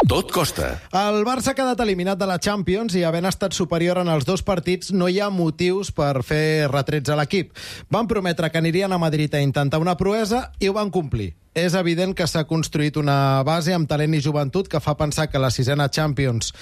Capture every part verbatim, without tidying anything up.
Tot costa. El Barça ha quedat eliminat de la Champions i, havent estat superior en els dos partits, no hi ha motius per fer retrets a l'equip. Van prometre que anirien a Madrid a intentar una proesa i ho van complir. És evident que s'ha construït una base amb talent i joventut que fa pensar que la sisena Champions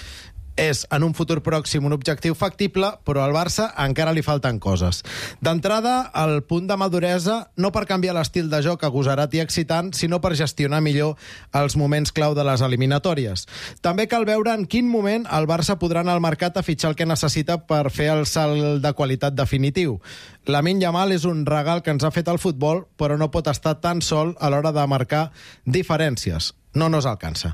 és, en un futur pròxim, un objectiu factible, però al Barça encara li falten coses. D'entrada, el punt de maduresa, no per canviar l'estil de joc agosarat i excitant, sinó per gestionar millor els moments clau de les eliminatòries. També cal veure en quin moment el Barça podrà anar al mercat a fitxar el que necessita per fer el salt de qualitat definitiu. Lamine Yamal és un regal que ens ha fet el futbol, però no pot estar tan sol a l'hora de marcar diferències. No nos alcança.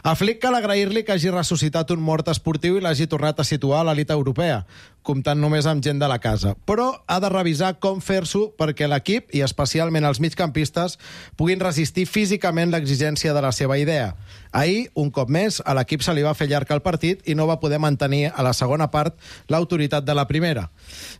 A Flick cal agrair-li que hagi ressuscitat un mort esportiu i l'hagi tornat a situar a l'elit europea, comptant només amb gent de la casa. Però ha de revisar com fer-s'ho perquè l'equip, i especialment els migcampistes, puguin resistir físicament l'exigència de la seva idea. Ahir, un cop més, a l'equip se li va fer llarg el partit i no va poder mantenir a la segona part l'autoritat de la primera.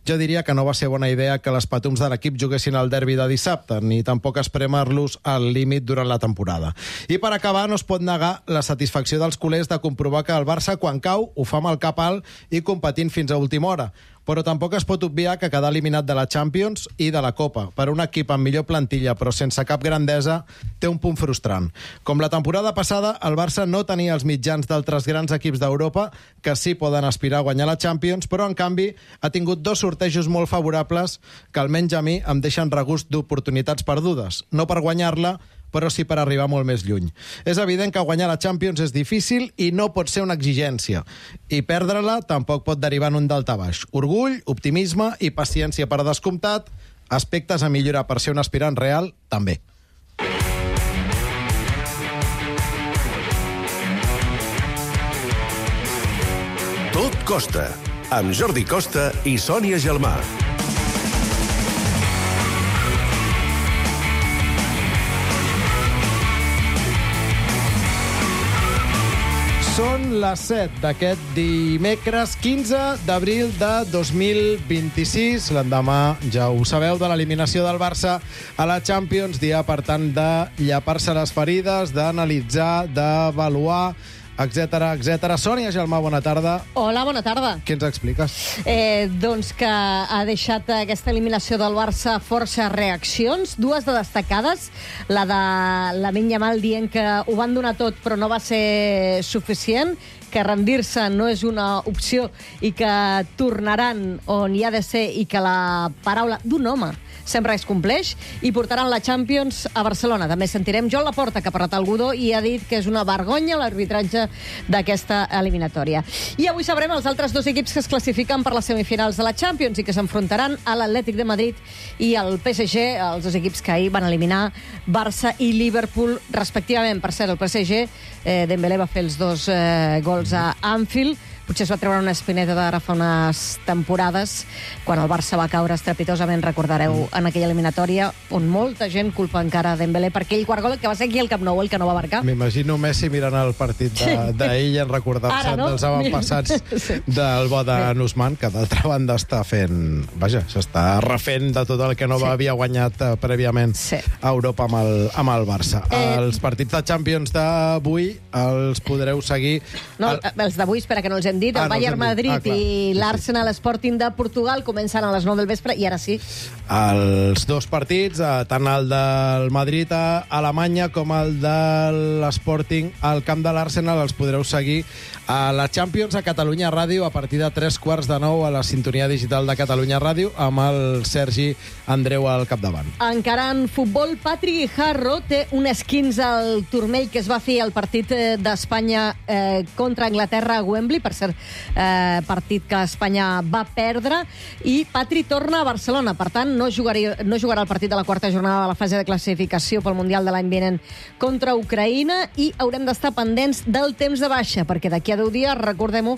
Jo diria que no va ser bona idea que les patums de l'equip juguessin al derbi de dissabte, ni tampoc espremer-los al límit durant la temporada. I per acabar, no es pot negar la satisfacció dels culers de comprovar que el Barça, quan cau, ho fa amb el cap alt i competint fins a última hora. Però tampoc es pot obviar que quedar eliminat de la Champions i de la Copa per un equip amb millor plantilla però sense cap grandesa té un punt frustrant. Com la temporada passada, el Barça no tenia els mitjans d'altres grans equips d'Europa que sí poden aspirar a guanyar la Champions, però en canvi ha tingut dos sortejos molt favorables que almenys a mi em deixen regust d'oportunitats perdudes. No per guanyar-la, però sí per arribar molt més lluny. És evident que guanyar la Champions és difícil i no pot ser una exigència. I perdre-la tampoc pot derivar en un daltabaix. Orgull, optimisme i paciència per descomptat, aspectes a millorar per ser un aspirant real, també. Tot costa, amb Jordi Costa i Sònia Gelmà. Són les set d'aquest dimecres quinze d'abril de dos mil vint-i-sis. L'endemà, ja ho sabeu, de l'eliminació del Barça a la Champions. Dia, per tant, de llapar-se les ferides, d'analitzar, d'avaluar, etcètera, etcètera. Sònia Gelmà, bona tarda. Hola, bona tarda. Què ens expliques? Eh, doncs que ha deixat aquesta eliminació del Barça força reaccions, dues de destacades, la de Lamine Yamal dient que ho van donar tot però no va ser suficient, que rendir-se no és una opció i que tornaran on hi ha de ser i que la paraula d'un home sempre es compleix, i portaran la Champions a Barcelona. També sentirem Joan Laporta, que ha parlat al Godó i ha dit que és una vergonya l'arbitratge d'aquesta eliminatòria. I avui sabrem els altres dos equips que es classifiquen per les semifinals de la Champions i que s'enfrontaran a l'Atlètic de Madrid i al P S G, els dos equips que ahir van eliminar Barça i Liverpool, respectivament. Per cert, el P S G, eh, Dembélé va fer els dos eh, gols a Anfield. Potser es va treure una espineta d'ara fa unes temporades, quan el Barça va caure estrepitosament, recordareu, en aquella eliminatòria, on molta gent culpa encara Dembélé per aquell quart gol que va ser aquí al Camp Nou, el que no va marcar. M'imagino Messi mirant el partit d'ahir i en recordar-se no? dels avantpassats sí. del bo de Nusman, que d'altra banda està fent... Vaja, s'està refent de tot el que no sí. havia guanyat uh, prèviament sí. a Europa amb el, amb el Barça. Eh... Els partits de Champions d'avui els podreu seguir... No, el... els d'avui, espera, que no els hem dit, el ah, Bayern no Madrid ah, i l'Arsenal Sporting de Portugal comencen a les nou del vespre, i ara sí. Els dos partits, tant el del Madrid a Alemanya com el de l'Sporting al camp de l'Arsenal, els podreu seguir a la Champions a Catalunya Ràdio a partir de tres quarts de nou a la sintonia digital de Catalunya Ràdio amb el Sergi Andreu al capdavant. Encara en futbol, Patrick Guijarro té un esquinç al turmell que es va fer al partit d'Espanya eh, contra Anglaterra a Wembley, per cert, eh, partit que Espanya va perdre, i Patri torna a Barcelona. Per tant, no, jugaria, no jugarà el partit de la quarta jornada de la fase de classificació pel Mundial de l'any vinent contra Ucraïna, i haurem d'estar pendents del temps de baixa, perquè d'aquí a deu dies, recordem-ho,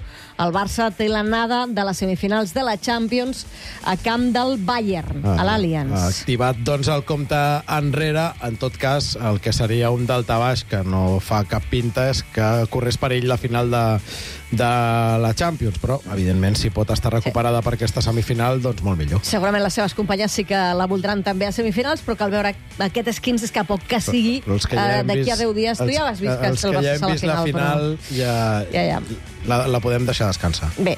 el Barça té l'anada de les semifinals de la Champions a camp del Bayern, ah, a l'Allianz. Activat, doncs, el compte enrere. En tot cas, el que seria un daltabaix que no fa cap pinta és que corres per ell la final de de a la Champions, però, evidentment, si pot estar recuperada sí. per aquesta semifinal, doncs molt millor. Segurament les seves companyes sí que la voldran també a semifinals, però cal veure aquest esquins és que a poc que sigui, ja uh, d'aquí a deu dies, tu ja has vist que els el que ja Barça hem vist la final, però... ja, ja, ja. La, la podem deixar descansar. Bé,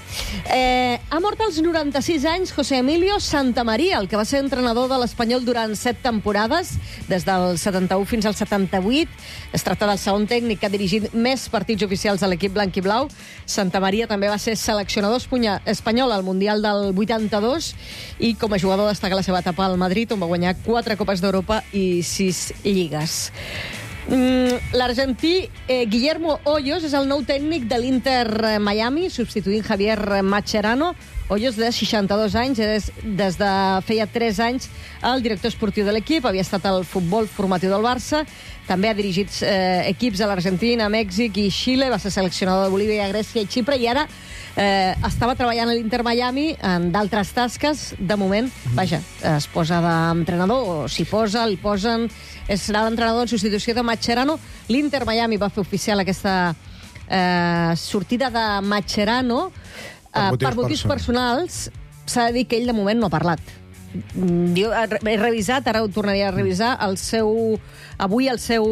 eh, ha mort als noranta-sis anys José Emilio Santamaría, el que va ser entrenador de l'Espanyol durant set temporades, des del setanta-u fins al setanta-vuit. Es tracta del segon tècnic que ha dirigit més partits oficials a l'equip blanc i blau. Santamaría també va ser seleccionador espanyol al Mundial del vuitanta-dos i com a jugador destaca la seva etapa al Madrid, on va guanyar quatre Copes d'Europa i sis lligues. Mm, l'argentí eh, Guillermo Hoyos és el nou tècnic de l'Inter Miami, substituint Javier Mascherano. Hoyos, de seixanta-dos anys, des, des de feia tres anys el director esportiu de l'equip, havia estat al futbol formatiu del Barça, també ha dirigit eh, equips a l'Argentina, Mèxic i Xile, va ser seleccionador de Bolívia, Grècia i Xipre, i ara eh, estava treballant a l'Inter Miami en d'altres tasques. De moment, vaja, es posa d'entrenador, o s'hi posa, li posen... Serà l'entrenador en substitució de Mascherano. L'Inter Miami va fer oficial aquesta eh, sortida de Mascherano eh, per motius, per motius personals. S'ha de dir que ell de moment no ha parlat. Jo he revisat, ara ho tornaria a revisar, el seu... Avui el seu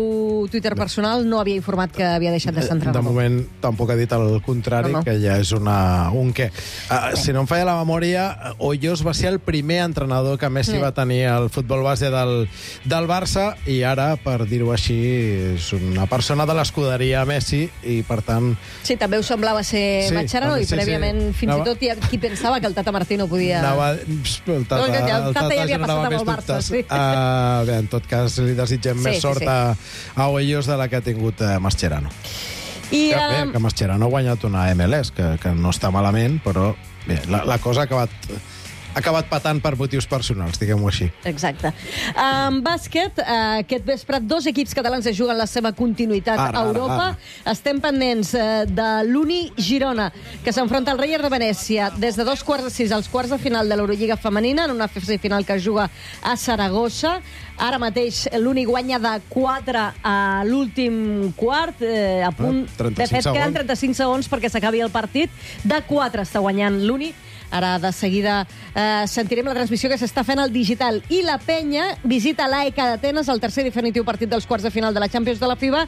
Twitter personal no havia informat que havia deixat de ser entrenador. De moment tampoc ha dit el contrari, no, no. que ja és una, un què. Uh, si no em falla la memòria, Hoyos va ser el primer entrenador que Messi sí. va tenir al futbol base del, del Barça, i ara, per dir-ho així, és una persona de l'escuderia Messi, i per tant... Sí, també ho semblava ser sí, Mascherano, i sí, prèviament sí. fins Anava... i tot hi ha qui pensava que el Tata Martino podia... Anava... El Tata, el Tata, el Tata ja havia passat amb el Barça. Sí. Uh, bé, en tot cas, li desitgem sí, més sí, sort sí. a, a Hoyos de la que ha tingut uh, Mascherano. I, que, bé, que Mascherano ha guanyat una M L S, que, que no està malament, però bé, la, la cosa ha acabat... ha acabat patant per motius personals, diguem-ho així. Exacte. En bàsquet, aquest vespre, dos equips catalans es juguen la seva continuïtat ara, a Europa. Ara, ara. Estem pendents de l'Uni Girona, que s'enfronta al Rayer de Venècia des de dos quarts de sis als quarts de final de l'Eurolliga femenina, en una fase final que es juga a Saragossa. Ara mateix l'Uni guanya de quatre a l'últim quart, eh, a punt... De fet, queden trenta-cinc segons perquè s'acabi el partit. De quatre està guanyant l'Uni. Ara, de seguida, eh, sentirem la transmissió que s'està fent al digital. I la Penya visita l'A E K d'Atenes, el tercer i definitiu partit dels quarts de final de la Champions de la FIBA.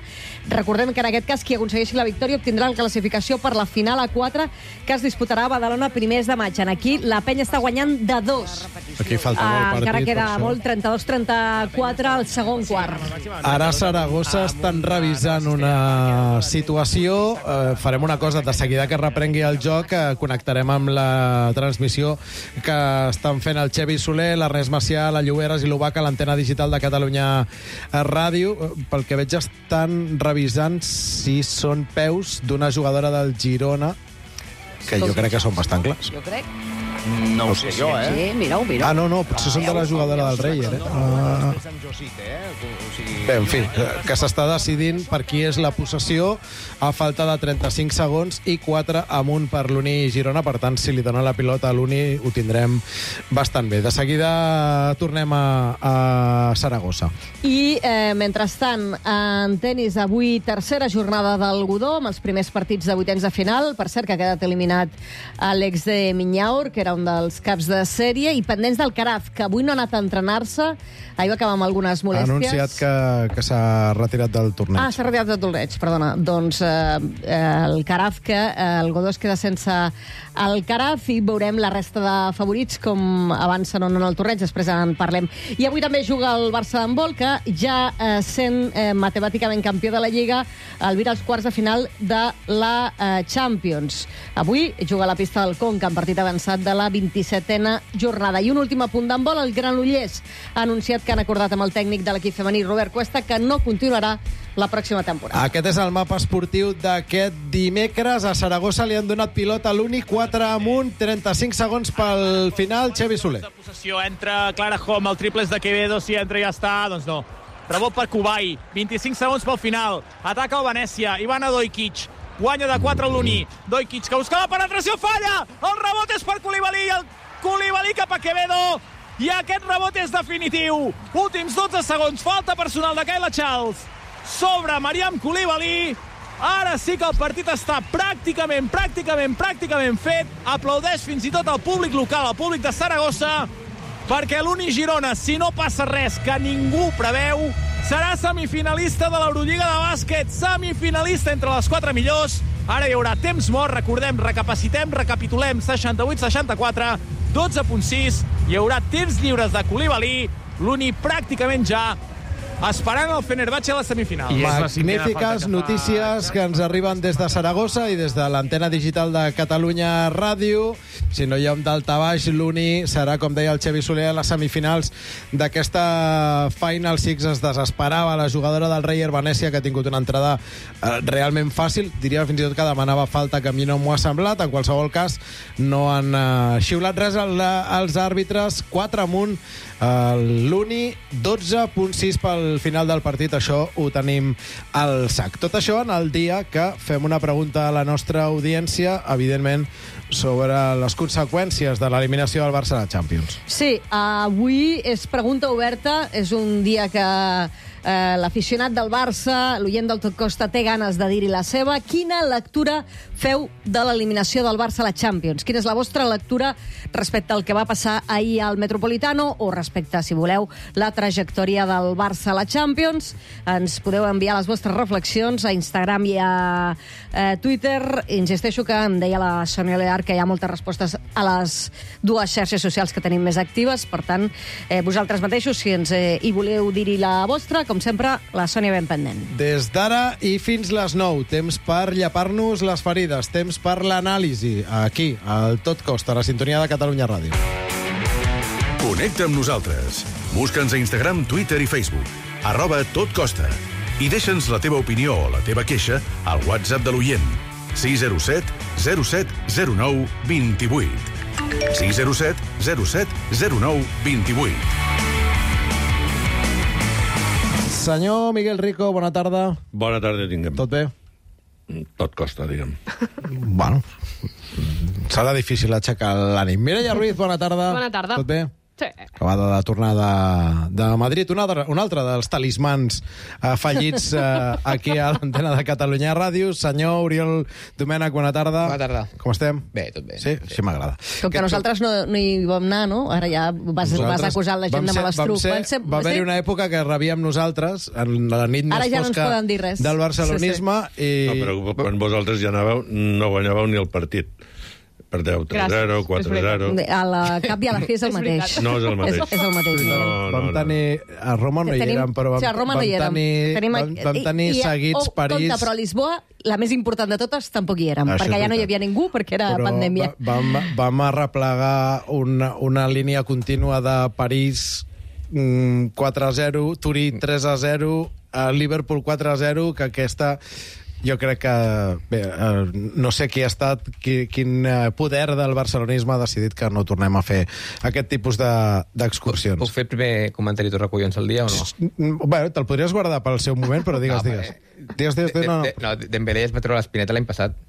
Recordem que en aquest cas qui aconsegueixi la victòria obtindrà la classificació per la final a quatre que es disputarà a Badalona primers de maig. Aquí la Penya està guanyant de dos. Aquí falta molt partit. Encara queda molt, trenta-dos trenta-quatre al segon quart. Ara a Saragossa estan revisant una situació. Eh, farem una cosa, de seguida que reprengui el joc, eh, connectarem amb la transmissió que estan fent el Xevi Soler, l'Ernest Macià, la Lloberes i l'Ubac a l'antena digital de Catalunya Ràdio. Pel que veig estan revisant si són peus d'una jugadora del Girona, que jo crec que són bastant clars. Jo crec. No ho sé jo, eh? Sí, mira-ho, mira-ho. Ah, no, no, potser són de la jugadora del Rayer, eh? Ah. Bé, en fi, que s'està decidint per qui és la possessió a falta de trenta-cinc segons i quatre amunt per l'Uni Girona. Per tant, si li donen la pilota a l'Uni, ho tindrem bastant bé. De seguida tornem a, a Saragossa. I, eh, mentrestant, en tenis, avui tercera jornada del Godó, amb els primers partits de vuitens de final. Per cert, que ha quedat eliminat Àlex de Minyaur, que era un dels caps de sèrie, i pendents del Caraz, que avui no ha anat a entrenar-se. Ahir va acabar amb algunes molèsties. Ha anunciat que, que s'ha retirat del torneig. Ah, s'ha retirat del torneig, perdona. Doncs eh, el Caraz, que eh, el Godó es queda sense el Caraz, i veurem la resta de favorits com avancen o no en el torneig, després en parlem. I avui també juga el Barça d'handbol, que ja eh, sent eh, matemàticament campió de la Lliga, albira els quarts de final de la eh, Champions. Avui juga a la pista del Conca, en partit avançat de la vint-i-setena jornada. I un últim apunt d'handbol, el Granollers ha anunciat que han acordat amb el tècnic de l'equip femení, Robert Cuesta, que no continuarà la pròxima temporada. Aquest és el mapa esportiu d'aquest dimecres. A Saragossa li han donat pilota a l'Uni, quatre amunt, trenta-cinc segons pel final. Xevi Soler. La possessió entra Clara Hom, el triple és de Quevedo, si entra ja està, doncs no. Rebot per Kubai, vint-i-cinc segons pel final. Ataca el Venècia, Ivana Dojkic. Guanya de quatre l'Uni. Dojkic, que busca la penetració, falla! El rebot és per Koulibaly, el Koulibaly cap a Quevedo, i aquest rebot és definitiu. Últims dotze segons, falta personal de Kayla Charles sobre Mariam Koulibaly, Ara sí que el partit està pràcticament, pràcticament, pràcticament fet. Aplaudeix fins i tot el públic local, el públic de Saragossa, perquè l'Uni Girona, si no passa res que ningú preveu, serà semifinalista de l'Eurolliga de bàsquet, semifinalista entre les quatre millors. Ara hi haurà temps mort, recordem, recapacitem, recapitulem, seixanta-vuit seixanta-quatre, dotze punt sis, hi haurà temps lliures de Coulibaly, l'Uni pràcticament ja esperant el Fenerbahçe a la semifinal. Magnífiques notícies que ens arriben des de Saragossa i des de l'antena digital de Catalunya Ràdio. Si no hi ha un daltabaix, l'Uni serà, com deia el Xavi Soler, a les semifinals d'aquesta Final Six. Es desesperava la jugadora del Rayer Venècia, que ha tingut una entrada eh, realment fàcil. Diria fins i tot que demanava falta, que a mi no m'ho ha semblat. En qualsevol cas, no han eh, xiulat res als àrbitres. quatre amunt l'Uni, dotze punt sis pel final del partit. Això ho tenim al sac. Tot això en el dia que fem una pregunta a la nostra audiència, evidentment, sobre les conseqüències de l'eliminació del Barça a la Champions. Sí, avui és pregunta oberta. És un dia que eh, l'aficionat del Barça, l'oient del Tot Costa, té ganes de dir-hi la seva. Quina lectura feu de l'eliminació del Barça a la Champions? Quina és la vostra lectura respecte al que va passar ahir al Metropolitano o respecte, si voleu, la trajectòria del Barça a la Champions? Ens podeu enviar les vostres reflexions a Instagram i a eh, Twitter. Insisteixo que em deia la Sònia Lear que hi ha moltes respostes a les dues xarxes socials que tenim més actives. Per tant, eh, vosaltres mateixos, si ens eh, hi voleu dir-hi la vostra, com sempre, la Sònia ben pendent. Des d'ara i fins les nou, temps per llepar-nos les ferides, temps per l'anàlisi, aquí, al Tot Costa, a la sintonia de Catalunya Ràdio. Connecta amb nosaltres. Busca'ns a Instagram, Twitter i Facebook. Arroba Tot Costa. I deixa'ns la teva opinió o la teva queixa al WhatsApp de l'oient. sis zero set zero set zero nou dos vuit. sis zero set zero set zero nou dos vuit. Senyor Miguel Rico, bona tarda. Bona tarda, tinguem. Tot bé? Tot costa, diguem. Bueno, serà difícil aixecar l'ànim. Mireia Ruiz, bona tarda. Bona tarda. Tot bé? Sí. Acabada de tornar de, de Madrid. Un altre, un altre dels talismans afegits eh, aquí a l'antena de Catalunya Ràdio. Senyor Oriol Domènech, bona tarda. Bona tarda. Com estem? Bé, tot bé. Sí? Sí, m'agrada. Com que nosaltres no, no hi vam anar, no? Ara ja vas, vas acusar la gent de malastruc. Vam ser, va haver-hi una època que rebíem nosaltres, en la nit Ara més ja no ens fosca poden dir res. del barcelonisme. Sí, sí. I... No, però quan vosaltres ja anàveu, no guanyàveu ni el partit. Perdeu tres zero, quatre zero... A la cap i a la fi és el mateix. No és el mateix. És, és el mateix. No, no, Vam no. tenir... A Roma no hi Tenim- érem, però vam, sí, a Roma no vam hi érem. tenir, Tenim- vam, vam tenir i- i- seguits oh, París... Compte, però a Lisboa, la més important de totes, tampoc hi érem, Això perquè és allà no hi veritat. havia ningú, perquè era Però pandèmia. va- Vam, vam arreplegar una, una línia contínua de París mm, quatre a zero, Turí tres a zero, a Liverpool quatre a zero, que aquesta... Jo crec que... Bé, eh, no sé qui ha estat, qui, quin eh, poder del barcelonisme ha decidit que no tornem a fer aquest tipus de- d'excursions. Puc fer el primer comentari tu recollons al dia o no? Mm, Bé, te'l podries guardar pel seu moment, però digues, No, digues. perquè- Digues, digues, digues, no, De- no. de- Dembélé es va treure l'espineta l'any passat.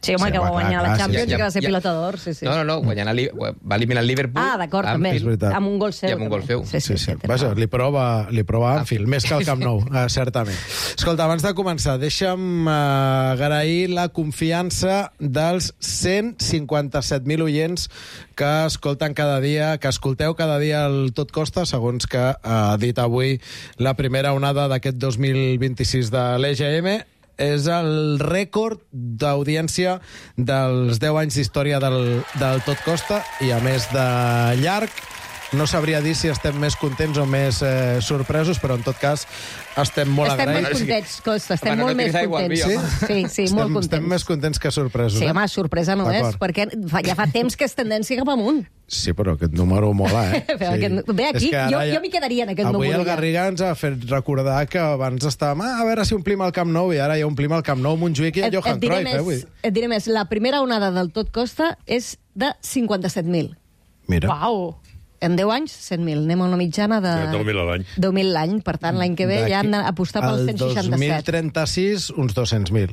Sí, home, Sí, que va home, guanyar clar, la clar, Champions sí, i que va ser ja- pilotador, sí, sí. No, no, no, guanyant el, Li- va eliminar el Liverpool. Ah, d'acord, amb- també. És veritat. Amb un gol seu. I amb un gol també. seu. Sí, sí, Sí, sí. sí, té Vaja, raó. li prova, li prova Anfield, més que el Camp Nou, eh, certament. Escolta, abans de començar, deixa'm eh, agrair la confiança dels cent cinquanta-set mil oients que escolten cada dia, que escolteu cada dia el Tot Costa, segons que ha dit avui la primera onada d'aquest dos mil vint-i-sis de l'E G M. És el rècord d'audiència dels deu anys d'història del, del Tot Costa i, a més de llarg, no sabria dir si estem més contents o més eh, sorpresos, però en tot cas estem molt Estem més agraïts. contents, Costa, estem Home, no molt més tinguis aigua al contents. vi, home. Sí, sí, estem, molt contents. estem més contents que sorpresos. Sí, eh? home, sorpresa no és, D'acord. perquè fa, ja fa temps que és tendència cap amunt. Sí, però aquest número mola, eh? Però aquest- ve aquí, És que ara jo- ja- jo m'hi quedaria en aquest Avui número el ja. Garriga ens ha fet recordar que abans estàvem ah, a veure si omplim el Camp Nou, i ara ja omplim el Camp Nou, Montjuïc i el Johan diré Cruyff, eh? Vull més, dir. et diré més, la primera onada del Tot Costa és de cinquanta-set mil. Mira. Uau. En deu anys, cent mil. Anem a una mitjana de... deu mil a l'any. deu mil l'any. Per tant, l'any que ve ja han d'apostar pels cent El dos seixanta-set. mil trenta-sis, uns dos-cents mil.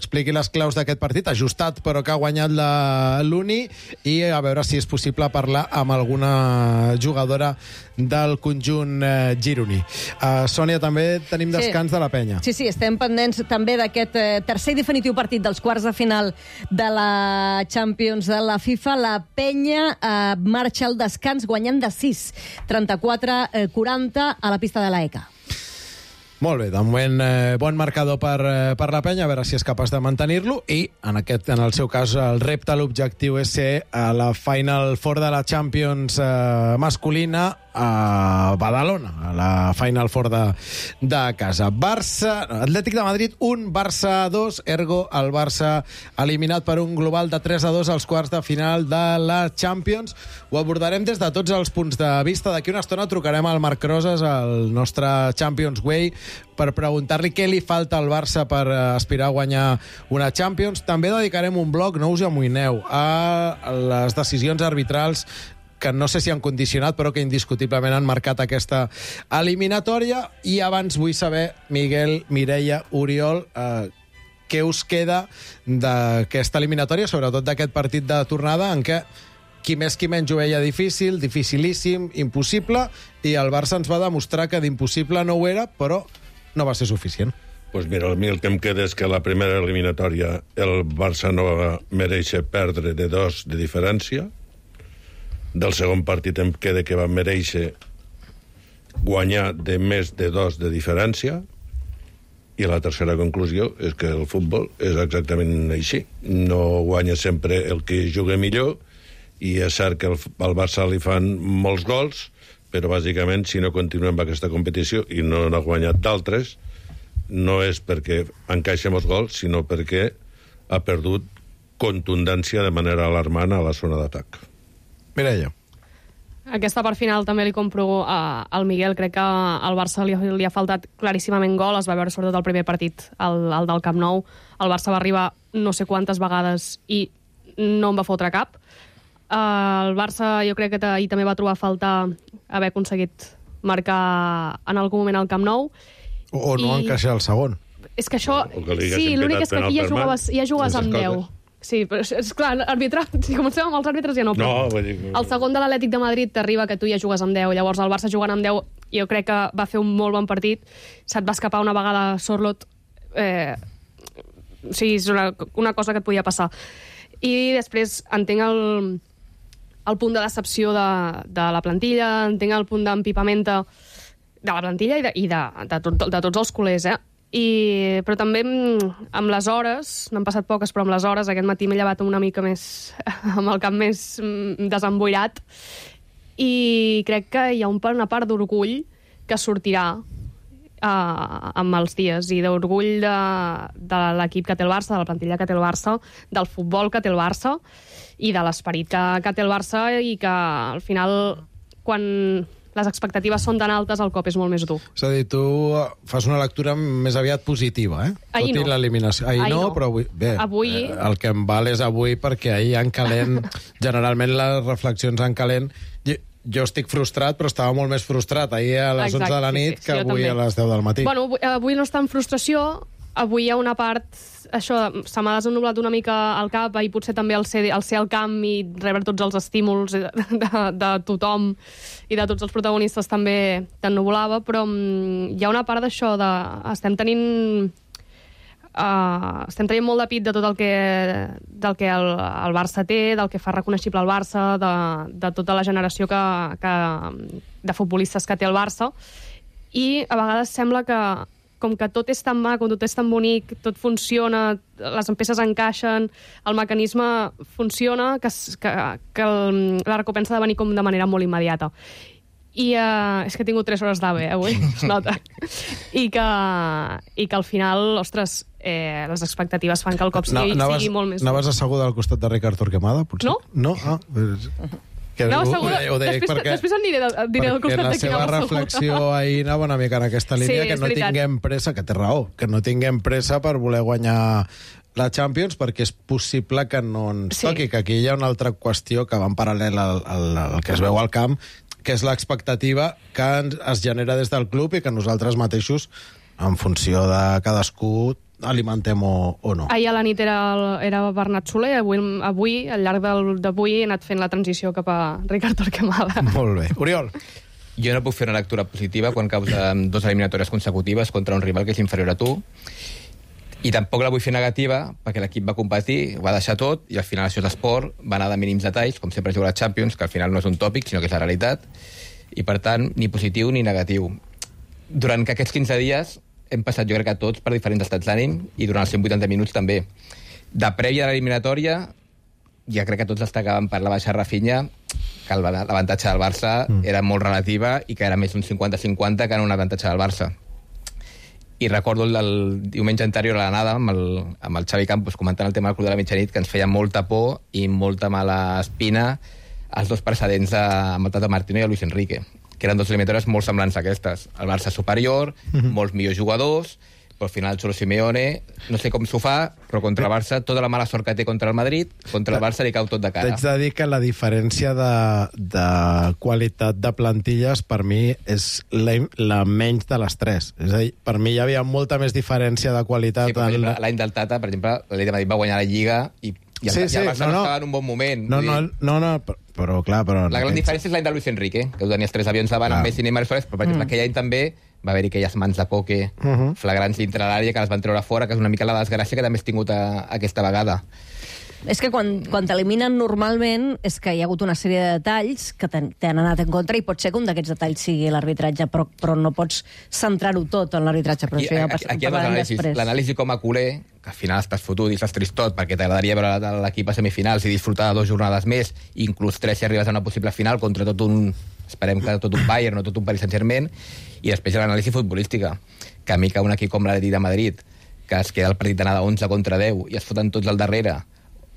expliqui les claus d'aquest partit, ajustat però que ha guanyat la l'Uni, i a veure si és possible parlar amb alguna jugadora del conjunt eh, gironí. Uh, Sònia, també tenim descans Sí. de la penya. Sí, sí, estem pendents també d'aquest eh, tercer i definitiu partit dels quarts de final de la Champions de la FIFA. La penya eh, marxa al descans guanyant de sis, trenta-quatre a quaranta a la pista de l'A E C A. Molt bé, de moment eh, bon marcador per, eh, per la penya, a veure si és capaç de mantenir-lo, i en, aquest, en el seu cas el repte, l'objectiu és ser a la Final Four de la Champions eh, masculina a Badalona, a la Final Four de, de casa. Barça, Atlètic de Madrid un, Barça dos, ergo el Barça eliminat per un global de tres a dos als quarts de final de la Champions. Ho abordarem des de tots els punts de vista. D'aquí una estona trucarem al Marc Roses, el nostre Champions Way, per preguntar-li què li falta al Barça per aspirar a guanyar una Champions. També dedicarem un bloc, no us amoïneu, a les decisions arbitrals que no sé si han condicionat, però que indiscutiblement han marcat aquesta eliminatòria. I abans vull saber, Miguel, Mireia, Oriol, eh, què us queda d'aquesta eliminatòria, sobretot d'aquest partit de tornada, en què qui més qui menys ho veia difícil, dificilíssim, impossible, i el Barça ens va demostrar que d'impossible no ho era, però no va ser suficient. Pues mira, a mi el que em queda és que la primera eliminatòria el Barça no va mereixer perdre de dos de diferència. Del segon partit em queda que va mereixer guanyar de més de dos de diferència, i la tercera conclusió és que el futbol és exactament així. No guanya sempre el que juga millor, i és cert que el, al Barça li fan molts gols, però bàsicament si no continuem amb aquesta competició i no n'ha guanyat d'altres, no és perquè encaixa molts gols, sinó perquè ha perdut contundència de manera alarmant a la zona d'atac. Mireia. Aquesta part final també li compro a, al Miguel. Crec que al Barça li, li ha faltat claríssimament gol. Es va veure sobretot el primer partit, el, el del Camp Nou. El Barça va arribar no sé quantes vegades i no en va fotre cap. Uh, el Barça jo crec que ahir també va trobar a faltar haver aconseguit marcar en algun moment al Camp Nou. O, o no I... encaixar el segon. És que això... Sí, l'únic és que aquí ja jugaves, ja jugaves amb deu. Sí, però és, és clar, arbitrar, si comencem amb els àrbitres ja no, però... No, vull dir... El segon de l'Atlètic de Madrid t'arriba que tu ja jugues amb deu, llavors el Barça jugant amb deu jo crec que va fer un molt bon partit, se't va escapar una vegada Sorloth, eh... o sigui, és una, una cosa que et podia passar. I després entenc el, el punt de decepció de, de la plantilla, entenc el punt d'empipamenta de la plantilla i de, i de, de, tot, de tots els culers, eh? I, però també amb les hores, n'han passat poques, però amb les hores, aquest matí m'he llevat una mica més, amb el cap més desemboirat, i crec que hi ha un, una part d'orgull que sortirà uh, amb els dies, i d'orgull de, de l'equip que té el Barça, de la plantilla que té el Barça, del futbol que té el Barça, i de l'esperit que, que té el Barça, i que al final, quan les expectatives són tan altes, el cop és molt més dur. És a dir, tu fas una lectura més aviat positiva, eh? Ahir no. L'eliminació. Ahir, ahir no, no, però avui... Bé, avui... Eh, el que em val és avui, perquè ahir en calent, generalment les reflexions en calent... Jo, jo estic frustrat, però estava molt més frustrat ahir a les Exacte, onze de la nit sí, sí, que avui també. A les deu del matí. Bueno, avui, avui no està en frustració, avui hi ha una part... Això, se m'ha desennubulat una mica al cap, i potser també el ser, el ser al camp i rebre tots els estímuls de, de, de tothom i de tots els protagonistes també t'ennubulava, però um, hi ha una part d'això de... Estem tenint... Uh, estem tenint molt de pit de tot el que, del que el, el Barça té, del que fa reconeixible el Barça, de, de tota la generació que, que, de futbolistes que té el Barça, i a vegades sembla que com que tot és tan maco, tot és tan bonic, tot funciona, les peces encaixen, el mecanisme funciona, que, que, que el, la recompensa ha de venir com de manera molt immediata. I uh, és que he tingut tres hores d'A V, eh, avui, es nota. I que, i que al final, ostres, eh, les expectatives fan que el cop sigui, no, sigui molt més... Anaves asseguda al costat de Ricard Torquemada, potser? No. No? Ah, pues... No, segura. Ho, ho després, perquè, després en diré, diré del costat de quina la seva reflexió ahir anava una mica en aquesta línia, sí, que no veritat. tinguem pressa, que té raó, que no tinguem pressa per voler guanyar la Champions, perquè és possible que no ens sí. toqui, que aquí hi ha una altra qüestió que va en paral·lel al, al, al que es veu al camp, que és l'expectativa que es genera des del club i que nosaltres mateixos, en funció de cadascú, alimentem o, o no. Ahir a la nit era, el, era Bernat Soler, avui, avui al llarg del, d'avui, he anat fent la transició cap a Ricard Torquemada. Molt bé. Oriol. Jo no puc fer una lectura positiva quan causa dues eliminatòries consecutives contra un rival que és inferior a tu, i tampoc la vull fer negativa perquè l'equip va competir, ho va deixar tot, i al final això és l'esport, va anar de mínims detalls, com sempre juga la Champions, que al final no és un tòpic, sinó que és la realitat, i per tant, ni positiu ni negatiu. Durant aquests quinze dies hem passat, jo crec que tots, per diferents estats d'ànim, i durant els cent vuitanta minuts també. De prèvia a l'eliminatòria, ja crec que tots destacàvem per la baixa Rafinha, que l'avantatge del Barça mm. era molt relativa i que era més un cinquanta cinquanta que era un avantatge del Barça. I recordo el, el diumenge anterior a l'anada amb, el, amb el Xavi Campos comentant el tema del Club de la Mitjanit, que ens feia molta por i molta mala espina els dos precedents de, amb el Tata Martino i el Luis Enrique, que eren dos eliminatòries molt semblants a aquestes. El Barça superior, mm-hmm. molts millors jugadors, però al final el Cholo Simeone, no sé com s'ho fa, però contra el Barça, tota la mala sort que té contra el Madrid, contra el Barça li cau tot de cara. T'haig de dir que la diferència de, de qualitat de plantilles per mi és la, la menys de les tres. És a dir, per mi hi havia molta més diferència de qualitat. Sí, per en... exemple, l'any del Tata, per exemple, l'Atlètic de Madrid va guanyar la Lliga i, i el, sí, sí, i el Barça no, no. estava en un bon moment. No, no, no, no, però clar... Però la gran diferència és l'any de Luis Enrique, que ho tenies tres avions davant amb Messi, Neymar i Suárez, però per exemple, mm. aquell any també va haver-hi aquelles mans de poke uh-huh. flagrants dintre l'àrea que les van treure fora, que és una mica la desgràcia que també has tingut a, a aquesta vegada. És que quan, quan t'eliminen normalment és que hi ha hagut una sèrie de detalls que t'han anat en contra i pot ser que un d'aquests detalls sigui l'arbitratge, però, però no pots centrar-ho tot en l'arbitratge. Però aquí, això ja aquí, aquí hi ha l'anàlisi, l'anàlisi com a culer, que al final estàs fotut i estàs tristot perquè t'agradaria veure l'equip a semifinals i disfrutar de dues jornades més, inclús tres si arribes a una possible final contra tot un... esperem que tot un Bayern o tot un Paris Saint-Germain, i després l'anàlisi futbolística, que a mi que un equip com l'Atlètic de Madrid, que es queda el partit d'anada onze contra deu i es foten tots al darrere,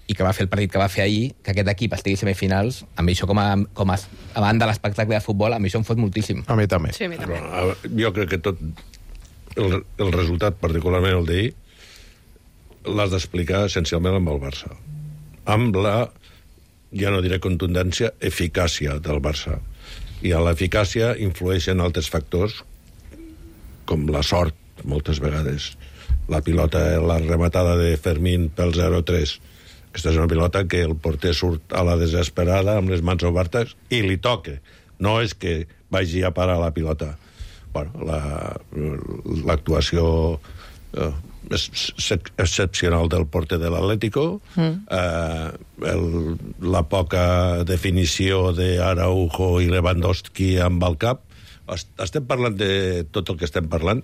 i que va fer el partit que va fer ahir, que aquest equip estigui a semifinals, a mi això com a, com a, a banda de l'espectacle de futbol, a mi això em fot moltíssim. A mi també. Sí, a mi també. Però, jo crec que tot el, el resultat, particularment el d'ahir, l'has d'explicar essencialment amb el Barça. Amb la, ja no diré contundència, eficàcia del Barça. I a l'eficàcia influeixen altres factors, com la sort, moltes vegades. La pilota, la rematada de Fermín pel zero tres. Aquesta és una pilota que el porter surt a la desesperada, amb les mans obertes, i li toca. No és que vagi a parar la pilota. Bueno, l'actuació... La, eh, excepcional del porter de l'Atlético, mm. eh, el, la poca definició d'Araujo i Lewandowski amb el cap. Estem parlant de tot el que estem parlant,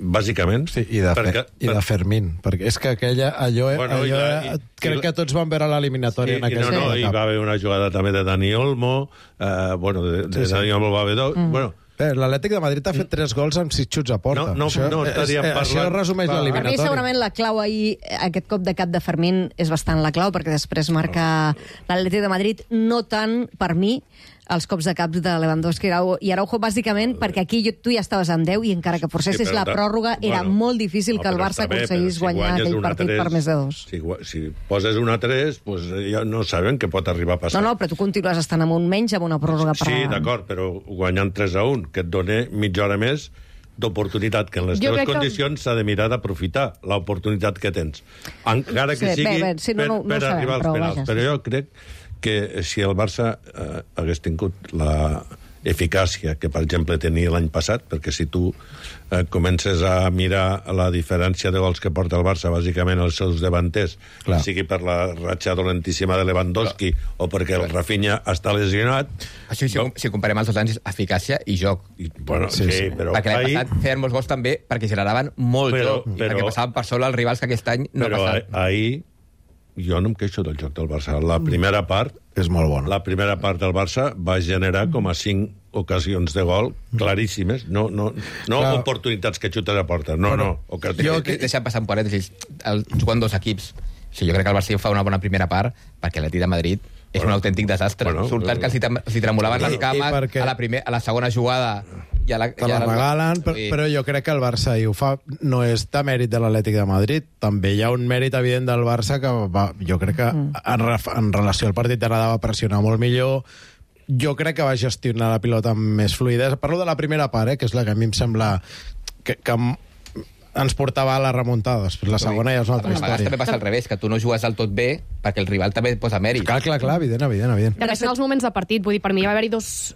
bàsicament. Sí, i de, perquè, i de Fermín, perquè és que aquella, allò, bueno, allò i, i, crec i, que tots van veure l'eliminatòria sí, en aquesta no, no, etapa. I va haver una jugada també de Dani Olmo, eh, bueno, de, de sí, Dani sí. Olmo va haver dos, mm. bueno, l'Atlètic de Madrid ha fet tres gols amb sis xuts a porta. No, no, això, no estaríem és, parlant... Això resumeix l'eliminatòria. Per mi, segurament, la clau ahir, aquest cop de cap de Fermín, és bastant la clau, perquè després marca l'Atlètic de Madrid, no tant, per mi, els cops de caps de Lewandowski i Araujo, bàsicament perquè aquí tu ja estaves amb deu i encara que forcessis sí, la pròrroga era bueno, molt difícil no, que el Barça bé, aconseguís si guanyar aquell partit tres, per més de dos. Si, si poses una tres, pues, ja no sabem què pot arribar a passar. No, no, però tu continues estant amb un menys, amb una pròrroga per... Sí, d'acord, però guanyant tres a un, que et dona mitja hora més d'oportunitat, que en les jo teves condicions s'ha que... de mirar d'aprofitar l'oportunitat que tens. Encara que sí, sigui bé, bé, sí, no, no, per, per no arribar sabem, als penals. Però, però jo crec que si el Barça eh, hagués tingut la eficàcia que, per exemple, tenia l'any passat, perquè si tu eh, comences a mirar la diferència de gols que porta el Barça, bàsicament els seus davanters, clar, sigui per la ratxa dolentíssima de Lewandowski clar, o perquè el Rafinha està lesionat... Això, si, no? si comparem els dos anys, eficàcia i joc. I, bueno, sí, sí, però... Perquè l'any passat feien molts gols també perquè generaven molt però, joc, però, perquè passaven per sobre els rivals que aquest any no però passaven. Però ahir jo no em queixo del joc del Barça. La primera part... És molt bona. La primera part del Barça va generar com a cinc ocasions de gol claríssimes. No, no, no oportunitats que xutes a porta. No, bueno, no. Ocasions. Jo que... Deixa passar un parèntesis. El, jugant dos equips. Sí, jo crec que el Barça fa una bona primera part perquè l'Atlètic de Madrid és bueno, un autèntic desastre. Bueno, Surten que els hi tremolaven les cames perquè... a, la primer, a la segona jugada... Ja la, te la ja regalen, la... però, però jo crec que el Barça i ho fa, no és de mèrit de l'Atlètic de Madrid, també hi ha un mèrit evident del Barça que va, jo crec que mm. en, en relació al partit d'anada va pressionar molt millor, jo crec que va gestionar la pilota amb més fluïdesa. Parlo de la primera part, eh, que és la que a mi em sembla que, que ens portava a la remuntada. Després la segona ja és una altra A vegades història. també passa al revés, que tu no jugues del tot bé perquè el rival també et posa mèrit. Clar, clar, clar, evident, evident, evident. També són els moments de partit. Vull dir, per mi va haver-hi dos,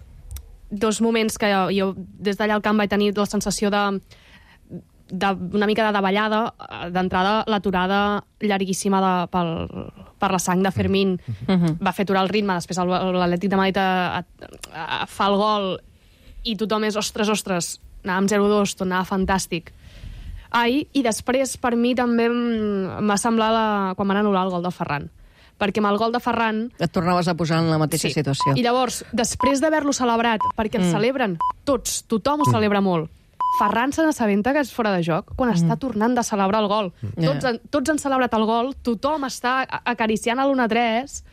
dos moments que jo, jo des d'allà al camp vaig tenir la sensació de, de una mica de davallada. D'entrada, l'aturada llarguíssima de, pel, per la sang de Fermín Mhm. va fer aturar el ritme. Després el- l'Atlètic de Madrid a, a, a, fa el gol i tothom és, ostres, ostres, anàvem zero dos, tornava fantàstic. Ai, i després, per mi, també em va semblar la, quan van anul·lar el gol de Ferran. Perquè amb el gol de Ferran... Et tornaves a posar en la mateixa Sí. situació. I llavors, després d'haver-lo celebrat, perquè el Mm. celebren tots, tothom ho celebra molt, Ferran se n'assabenta que és fora de joc quan està tornant de celebrar el gol. Tots, han, tots han celebrat el gol, tothom està a- acariciant a l'u a tres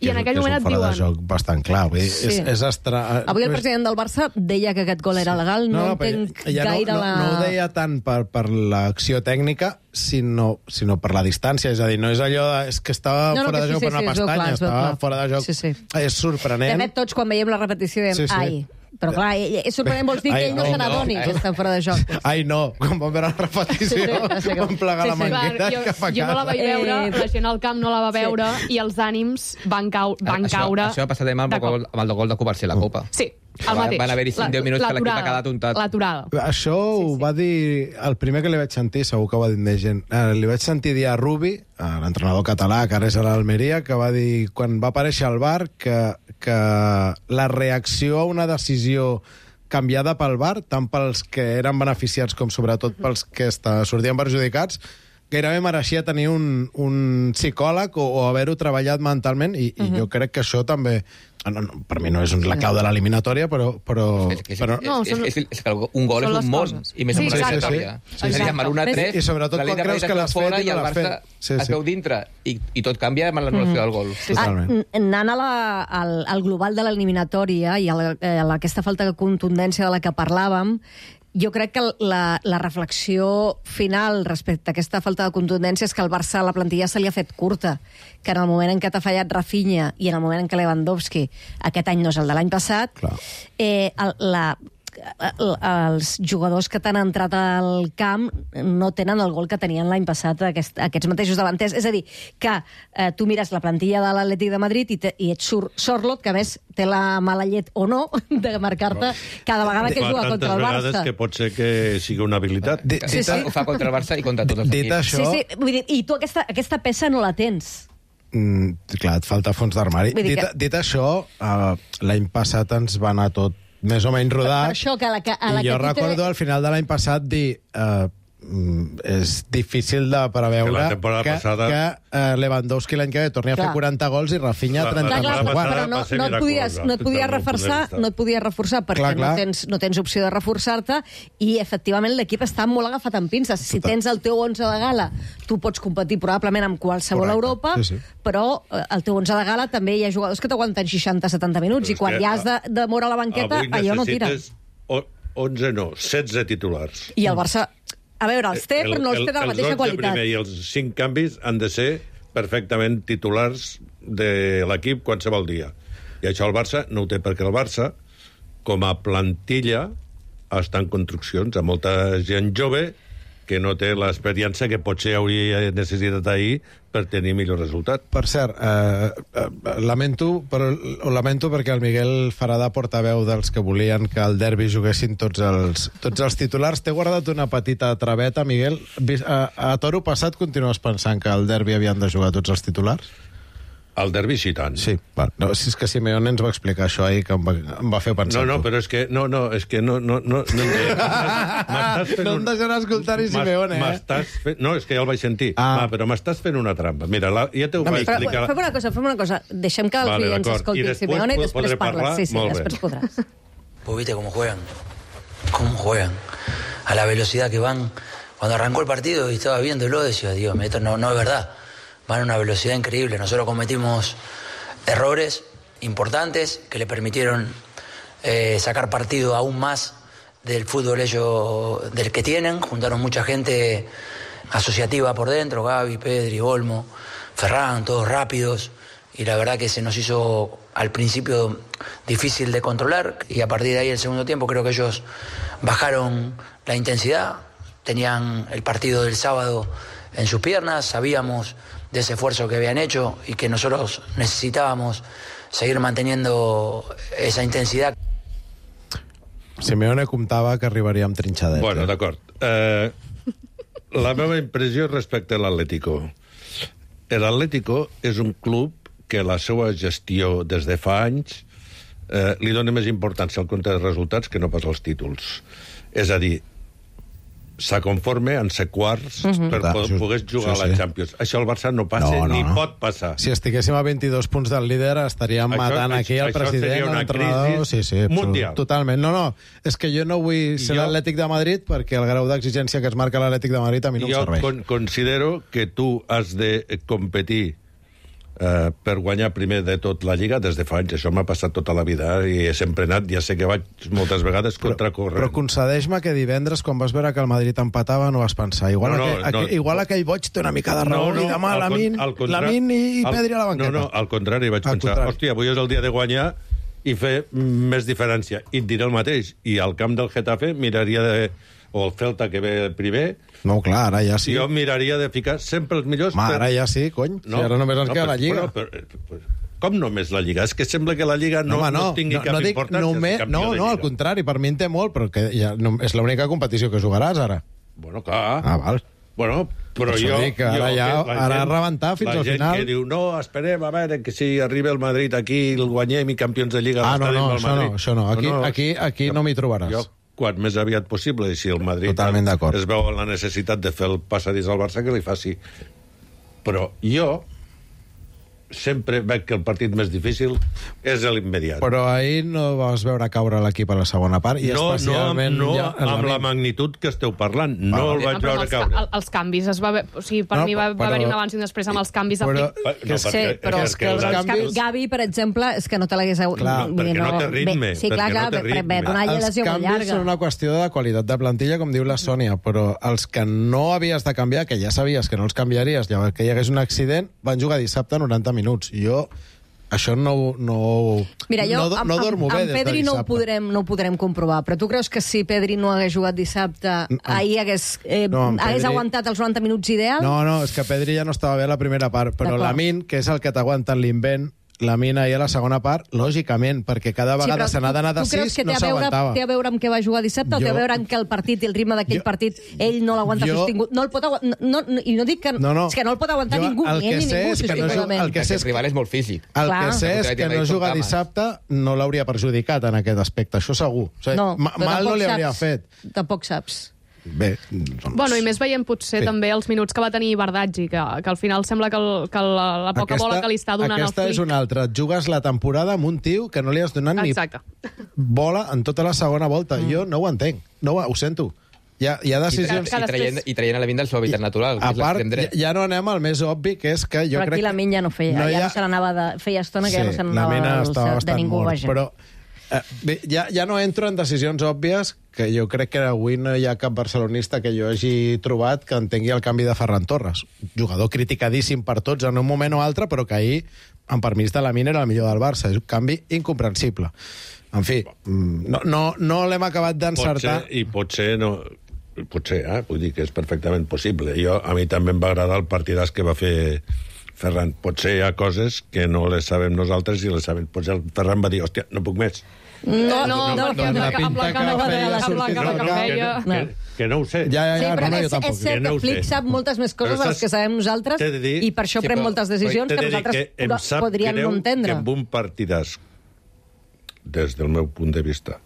i en aquell és un moment et fora diuen... de joc bastant clar. Vull dir, Sí. és, és estra... Avui el president del Barça deia que aquest gol era legal, no, no però entenc ja gaire no, no, la... no ho deia tant per, per l'acció tècnica, sinó, sinó per la distància. És a dir, no és allò de, és que estava No, no, fora que de sí, joc sí, per una sí, es veu pestanya, clar, es veu estava clar. fora de joc. Sí, sí. És sorprenent. De fet, tots, quan veiem la repetició, diem, Sí, sí. ai... Però clar, és sorprenent, vols dir que Ai, ell no ai, se n'adoni no, que està fora de joc. Ai, no, quan vam veure la repetició, Sí, sí, sí, vam plegar sí, la sí. manguera Clar, jo, cap a jo no la casa. vaig veure, Eh, la gent al camp no la va veure i els ànims van, cau, van això, caure... Això va passar demà amb, de el cop. gol, amb el gol de Covarsí a la Copa. Sí, el Van- mateix. van haver-hi cinc La- deu minuts que l'equip l'aturada, ha quedat untat. L'aturada. Això ho va dir... El primer que li vaig sentir, segur que ho va dir més gent, eh, li vaig sentir dir a Rubi, a l'entrenador català, que ara és a l'Almeria, que va dir, quan va aparèixer al bar, que, que la reacció a una decisió canviada pel V A R, tant pels que eren beneficiats com sobretot pels que està, sortien perjudicats, gairebé mereixia tenir un, un psicòleg o, o haver-ho treballat mentalment, i, i jo crec que això també... No, no, per mi no és un, la clau de l'eliminatòria, però... però, És, és, però és, és, és, és que un gol Són és les un món, coses. i més Sí, en una exacte. eliminatòria. Sí, sí, És a dir, sí. amb l'u a tres, I sobretot quan creus que l'has fet fora i i no el l'has Barça fet. Sí, es sí. veu dintre, i, i tot canvia amb l'anul·lació del gol. Totalment. Ah, anant a la, al, al global de l'eliminatòria i a, la, a aquesta falta de contundència de la que parlàvem, jo crec que la, la reflexió final respecte a aquesta falta de contundència és que el Barça, la plantilla se li ha fet curta, que en el moment en què t'ha fallat Rafinha i en el moment en què Lewandowski, aquest any no és el de l'any passat, Clar. eh, el, la, el, els jugadors que t'han entrat al camp no tenen el gol que tenien l'any passat aquest, aquests mateixos davanters. És a dir, que eh, tu mires la plantilla de l'Atlètic de Madrid i, te, i ets Sur Sorloth, que a més té la mala llet o no de marcar-te cada vegada que Fa juga tantes contra el vegades Barça. que pot ser que sigui una habilitat. Di- Sí, dit, sí. Ho fa contra el Barça i contra tots els dit equips. això... Sí, sí, vull dir, i tu aquesta, aquesta peça no la tens. Mm, clar, et falta fons d'armari. Vull dir Dit, que- dit això, uh, l'any passat ens va anar tot més o menys Per rodat. això que a la que, a la I jo que tu recordo te... al final de l'any passat dir... Uh, mm, és difícil de preveure Que la temporada que, passada- que uh, Lewandowski l'any que ve torni a Clar. fer quaranta gols i Rafinha La- la trenta. Clar, clar, temporada però, passada però no, va ser no, et podies, no et podies miraculosa, reforçar, des del meu punt de vista. no et podies reforçar perquè Clar, clar. No, tens, no tens opció de reforçar-te i, efectivament, l'equip està molt agafat amb pinces. Si Total. tens el teu onze de gala, tu pots competir probablement amb qualsevol Correcte. Europa, Sí, sí. però eh, el teu onze de gala també hi ha jugadors que t'aguanten seixanta setanta minuts Però i és quan que ja has de, de moure a la banqueta, Avui allò no tira. necessites o- onze no, setze titulars. I el Barça, a veure, els té, però no els té de la mateixa els qualitat. primer i els cinc canvis han de ser perfectament titulars de l'equip qualsevol dia. I això el Barça no ho té, perquè el Barça, com a plantilla, està en construccions, amb molta gent jove que no té l'experiència que potser hauria necessitat ahir per tenir millor resultat. Per cert, eh, eh, lamento, però ho lamento perquè el Miguel farà de portaveu dels que volien que al derbi juguessin tots els, tots els titulars. T'he guardat una petita traveta, Miguel. Vis- A, a toro passat continues pensant que al derbi havien de jugar tots els titulars? Al derbi sí tant. Sí, va. No, si és que Simeone ens va explicar això ahir, que em va, em va fer pensar. No, no, tu. però és que no, no, és que no, no, no, no, m'estàs fent No un- em deixarà escoltar ni m'has- Simeone, eh? M'estàs fent... No, és que ja el vaig sentir. Ah. Va, però m'estàs fent una trampa. Mira, la, ja t'ho Una vaig mica. Però, explicar. fem una cosa, fem una cosa. Deixem que els Vale, clients d'acord. I escoltin després Simeone i pod- després podré parles. parlar? Sí, sí, Molt bé. després podràs. Vos viste cómo juegan, cómo juegan, a la velocidad que van. Cuando arrancó el partido y estaba viéndolo, decía, Dios, esto no, no es verdad. Van a una velocidad increíble. Nosotros cometimos errores importantes que le permitieron eh, sacar partido aún más del fútbol ellos, del que tienen. Juntaron mucha gente asociativa por dentro, Gavi, Pedri, Olmo, Ferran, todos rápidos. Y la verdad que se nos hizo al principio difícil de controlar. Y a partir de ahí, el segundo tiempo, creo que ellos bajaron la intensidad. tenían el partido del sábado en sus piernas, sabíamos de ese esfuerzo que habían hecho y que nosotros necesitábamos seguir manteniendo esa intensidad. Simeone comptava que arribaria amb trinxadet. Bueno, d'acord. Eh, la meva impressió respecte a l'Atlético. L'Atlético és un club que la seva gestió des de fa anys eh, li dona més importància al compte de resultats que no pas als títols. És a dir, s'aconforme en ser quarts uh-huh. per po poder jugar sí, sí. a la Champions. Això al Barça no passa, no, no, ni no. pot passar. Si estiguéssim a vint-i-dos punts del líder estaríem això, matant aquí el president, l'entrenador... Sí, sí, mundial. Totalment. No, no, és que jo no vull ser jo... l'Atlètic de Madrid perquè el grau d'exigència que es marca l'Atlètic de Madrid a mi no jo em serveix. Jo con considero que tu has de competir Uh, per guanyar primer de tot la Lliga des de fa anys. Això m'ha passat tota la vida i he sempre anat, ja sé que vaig moltes vegades contra corrent. Però concedeix-me que divendres, quan vas veure que el Madrid empatava, no vas pensar igual, no, no, aquell, no, aquell, igual aquell boig té una mica de raó no, no, i demà Lamin, Lamin i, i Pedri a la banqueta. No, no, al contrari, vaig al pensar, contrari. hòstia, avui és el dia de guanyar i fer més diferència. I et diré el mateix. I al camp del Getafe miraria de... o el Celta, que ve primer... No, clar, ara ja sí. Jo miraria de ficar sempre els millors... Ma, per... ara ja sí, cony. No, si ara només ens no, queda la Lliga. Bueno, però, però, com només la Lliga? És que sembla que la Lliga no, no, no, no tingui no, cap no dic, importància. Només, no, no, al contrari, per mi en té molt, però que ja, no, és l'única competició que jugaràs, ara. Bueno, clar. Ah, val. Bueno, però per jo... Dic, ara jo, ja, ara gent, rebentar fins al final... La gent que diu, no, esperem a veure que si arriba el Madrid aquí, el guanyem i campions de Lliga... Ah, no, no, això no, això no. Aquí, no, no. aquí, aquí no m'hi trobaràs. Jo, quan més aviat possible, i si el Madrid es veu la necessitat de fer el passadís al Barça, que li faci. Però jo sempre veig que el partit més difícil és l'immediat. Però ahir no vas veure caure l'equip a la segona part, i no, especialment... No, no ja, amb la magnitud que esteu parlant. No ah, el vaig veure els, caure. El, els canvis, es va ve... o sigui, per no, mi va, va haver-hi un abans i un després amb els canvis. Però, de... que no, sí, però és que els canvis... Gavi, per exemple, és que no te l'hagués... Clar, perquè no, no té ritme. Sí, clar, clar, no per, per donar la lesió molt llarga. Els canvis són una qüestió de qualitat de plantilla, com diu la Sònia, però els que no havies de canviar, que ja sabies que no els canviaries, llavors que hi hagués un accident, van jugar dissabte noranta minuts. I jo... Això no, no, Mira, jo, no, no dormo amb, bé amb Pedri no ho, podrem, no ho podrem comprovar, però tu creus que si Pedri no hagués jugat dissabte, amb, ahir hagués, eh, no, hagués Pedri... aguantat els noranta minuts ideals? No, no, és que Pedri ja no estava bé a la primera part, però Lamin, que és el que t'aguanta l'invent, Lamin ahir a la segona part, lògicament, perquè cada vegada sí, se n'ha d'anar de sis, no s'aguantava. Té a veure amb què va jugar dissabte jo... o té a veure amb que el partit i el ritme d'aquell partit ell no l'aguanta jo... sostingut? No el pot aguantar... No, no, I no dic que... No, no. És que no el pot aguantar jo, ningú, ni ell ni ningú, sostingudament. El que sé és que el rival és molt físic. El que sé és que no jugar dissabte no l'hauria perjudicat en aquest aspecte, això segur. O sigui, no, mal no li hauria fet. Tampoc saps. Bé, doncs... Bueno, i més veient potser sí. també els minuts que va tenir Bardaggi, que, que al final sembla que, el, que la, la poca aquesta, bola que li està donant el flic... Aquesta és una altra. Et jugues la temporada amb un tio que no li has donat Exacte. ni bola en tota la segona volta. Mm. Jo no ho entenc. No ho, ho sento. Hi ha, hi ha decisions... I, tra i, traient, I traient a la Min del seu hàbitat natural. A part, ja, ja no anem al més obvi, que és que jo però crec... Però aquí la Min ja no feia. No ja ha... no se n'anava de... Feia estona que sí, ja no se n'anava de ningú, mort, vaja. Però eh, bé, ja, ja no entro en decisions òbvies, que jo crec que avui no hi ha cap barcelonista que jo hagi trobat que entengui el canvi de Ferran Torres. Jugador criticadíssim per tots en un moment o altre, però que ahir, amb permís de la Min, era el millor del Barça. És un canvi incomprensible. En fi, no, no, no l'hem acabat d'encertar. I potser no... Potser, eh? Vull dir que és perfectament possible. Jo, a mi també em va agradar el partidàs que va fer Ferran. Potser hi ha coses que no les sabem nosaltres i les sabem. Potser el Ferran va dir, hòstia, no puc més. No, no, no, perquè amb la cara que feia... Que no ho sé. Ja, ja, ja, sí, però no, no, és, és cert que, que Flick sap moltes més coses de les que sabem nosaltres dir, i per això sí, pren moltes decisions que nosaltres que podríem no entendre. Que amb un partidàs, des del meu punt de vista,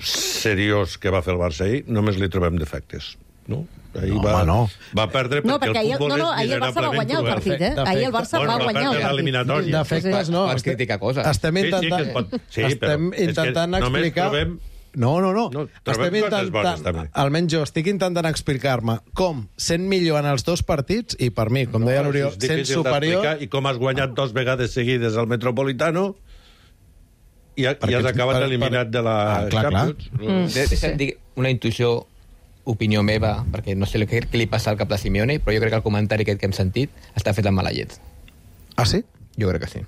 seriós que va fer el Barça ahir, només li trobem defectes. No? Ahir no, va, no. va perdre perquè no, perquè el futbol no, no, és ahir el Barça va guanyar el partit, eh? Defecte. Ahir el Barça bueno, va guanyar el partit. Defectes no. Pots criticar coses. Estem intentant, sí, sí, sí, estem intentant explicar... Trobem... No, no, no. no estem intentant... Almenys jo estic intentant explicar-me com, sent millor en els dos partits, i per mi, com no, deia l'Oriol, sent superior... I com has guanyat dos vegades seguides al Metropolitano i, i has acabat per, eliminat per... de la ah, clar, Champions. Clar. Mm. Deixa'm dir una intuïció, opinió meva, perquè no sé què, què li passa al cap de Simeone, però jo crec que el comentari aquest que hem sentit està fet amb mala llet. Ah, sí? Jo crec que sí.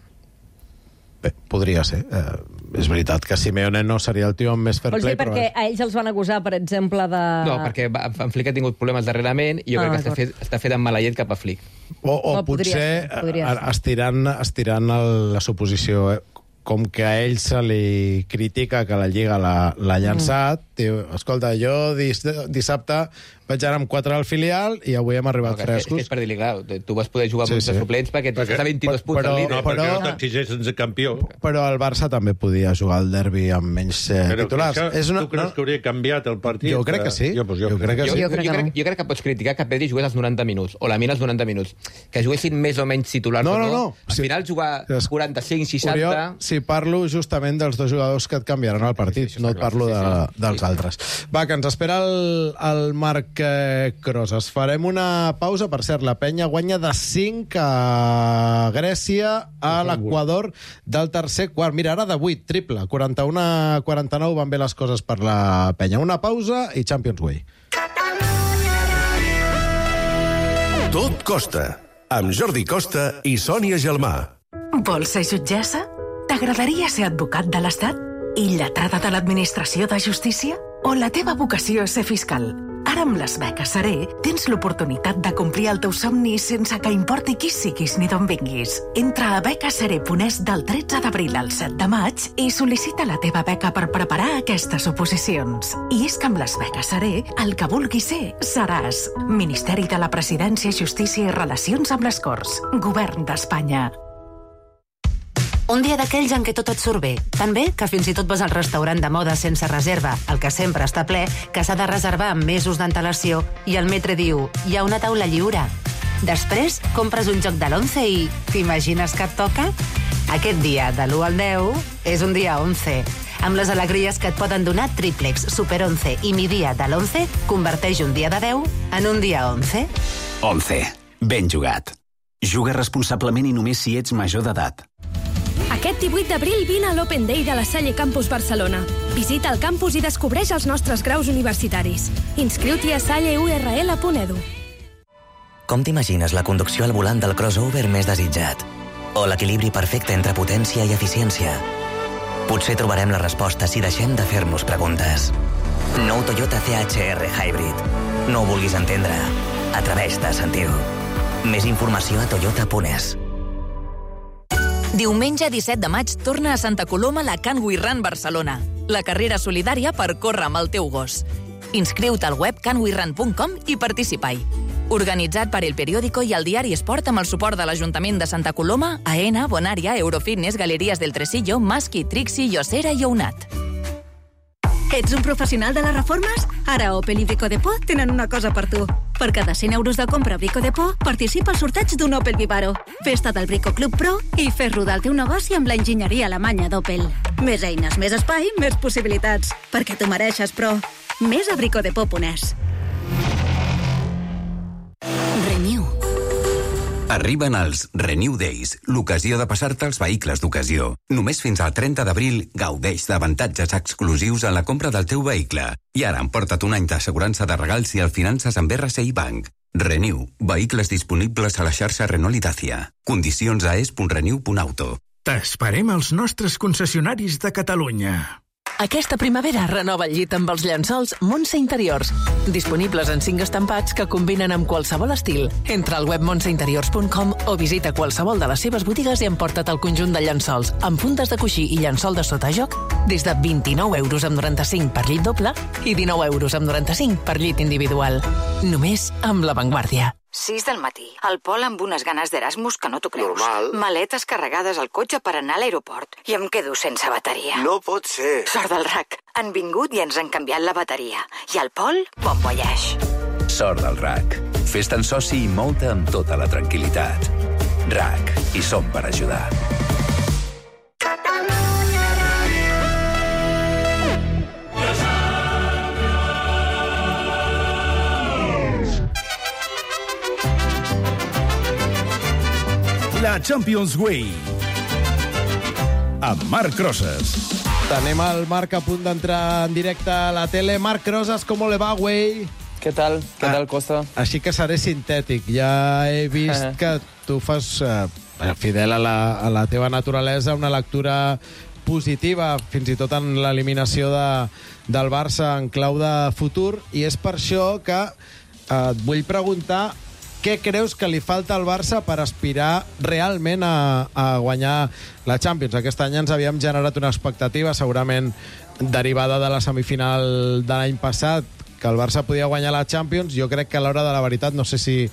Bé, podria ser. Eh, és veritat que Simeone no seria el tio amb més fair Vols play, dir perquè a ells els van acusar, per exemple, de... No, perquè va- en Flick ha tingut problemes darrerament i jo Ah, crec que està d'acord. fet, està fet amb maleït cap a Flick. O, o No, podria potser ser, podria eh, estirant, estirant el, la suposició, eh? Com que a ell se li critica que la Lliga l'ha l'ha llançat, mm. diu, escolta, jo dis, dissabte vaig anar amb quatre al filial i avui hem arribat No, que és, frescos. que és per dir-li, clar, tu vas poder jugar amb Sí, sí, sí. sí. suplents perquè ets Perquè- a vint-i-dos punts però- al líder. No, perquè Però- no t'exigeixen de campió. Però el Barça també podia jugar al derbi amb menys eh, Però titulars. això, És una, tu creus que hauria canviat el partit? Jo crec que sí. Jo, pues jo, Jo crec que Jo, sí. jo, jo, crec, jo crec que pots criticar que Pedri jugués als noranta minuts, o la Mina als noranta minuts. Que juguessin més o menys titulars No, o no, no. no. Al Sí. final jugar quaranta-cinc seixanta... Oriol, si parlo justament dels dos jugadors que et canviaran el partit, sí, sí, no et clar, parlo sí, sí, de, sí. dels altres. Va, que ens espera el, el Marc eh, Crosas. Farem una pausa. Per cert, la penya guanya de cinc a Grècia, a l'Equador del tercer quart. Mira, ara de vuit, triple. quaranta-u a quaranta-nou van bé les coses per la penya. Una pausa i Champions Way. Tot costa, amb Jordi Costa i Sònia Gelmà. Vols ser jutgessa? T'agradaria ser advocat de l'Estat? I lletrada de l'Administració de Justícia? O la teva vocació és ser fiscal? Ara amb les beques Seré tens l'oportunitat de complir el teu somni sense que importi qui siguis ni d'on vinguis. Entra a becaseré punt es del tretze d'abril al set de maig i sol·licita la teva beca per preparar aquestes oposicions. I és que amb les beques Seré, el que vulguis ser, seràs. Ministeri de la Presidència, Justícia i Relacions amb les Corts. Govern d'Espanya. Un dia d'aquells en què tot et surt bé. Tan bé que fins i tot vas al restaurant de moda sense reserva, el que sempre està ple, que s'ha de reservar amb mesos d'antelació, i el metre diu, hi ha una taula lliure. Després, compres un joc de l'once i t'imagines que et toca? Aquest dia, de l'u al deu, és un dia onze. Amb les alegries que et poden donar Triplex, Super onze i Mi Dia de l'onze, converteix un dia de deu en un dia onze. onze. Ben jugat. Juga responsablement i només si ets major d'edat. Aquest divuit d'abril vine a l'Open Day de la Salle Campus Barcelona. Visita el campus i descobreix els nostres graus universitaris. Inscriu-t'hi a salle u erre ele punt edu. Com t'imagines la conducció al volant del crossover més desitjat? O l'equilibri perfecte entre potència i eficiència? Potser trobarem la resposta si deixem de fer-nos preguntes. Nou Toyota C H R Hybrid. No ho vulguis entendre. Atreveix-te a sentir-ho. Més informació a toyota punt es. Diumenge disset de maig torna a Santa Coloma la Can We Run Barcelona, la carrera solidària per córrer amb el teu gos. Inscriu-te al web can we run punt com i participa-hi. Organitzat per El Periódico i el Diari Esport amb el suport de l'Ajuntament de Santa Coloma, AENA, Bonària, Eurofitness, Galeries del Tresillo, Masqui, Trixi, Yosera i Ounat. Ets un professional de les reformes? Ara Opel i Brico Depot tenen una cosa per tu. Per cada cent euros de compra a Brico Depot, participa al sorteig d'un Opel Vivaro. Festa del Brico Club Pro i fes rodar el teu negoci amb l'enginyeria alemanya d'Opel. Més eines, més espai, més possibilitats. Perquè t'ho mereixes, però... Més a brico depot punt es. Renew. Arriben els Renew Days, l'ocasió de passar-te els vehicles d'ocasió. Només fins al trenta d'abril gaudeix d'avantatges exclusius en la compra del teu vehicle. I ara emporta't un any d'assegurança de regal si el finances amb erre ce i Bank. Renew, vehicles disponibles a la xarxa Renault i Dacia. Condicions a es punt renew punt auto. T'esperem als nostres concessionaris de Catalunya. Aquesta primavera renova el llit amb els llençols Montse Interiors. Disponibles en cinc estampats que combinen amb qualsevol estil. Entra al web montse interiors punt com o visita qualsevol de les seves botigues i emporta't el conjunt de llençols amb fundes de coixí i llençol de sotajoc des de vint-i-nou euros amb noranta-cinc per llit doble i dinou euros amb noranta-cinc per llit individual. Només amb La Vanguardia. sis del matí. El Pol amb unes ganes d'Erasmus que no t'ho creus. Normal. Maletes carregades al cotxe per anar a l'aeroport. I em quedo sense bateria. No pot ser. Sort del R A C. Han vingut i ens han canviat la bateria. I el Pol, bon voyage. Sort del R A C. Fes-te'n soci i mou-te amb tota la tranquil·litat. R A C. I som per ajudar. La Champions Way amb Marc Crosas. Tenim el Marc a punt d'entrar en directe a la tele. Marc Crosas, ¿cómo le va, güey? ¿Qué tal? ¿Qué tal, Costa? Així que seré sintètic. Ja he vist que tu fas, eh, fidel a la, a la teva naturalesa, una lectura positiva, fins i tot en l'eliminació de, del Barça en clau de futur, i és per això que eh, et vull preguntar què creus que li falta al Barça per aspirar realment a, a guanyar la Champions. Aquest any ens havíem generat una expectativa, segurament derivada de la semifinal de l'any passat, que el Barça podia guanyar la Champions. Jo crec que a l'hora de la veritat, no sé si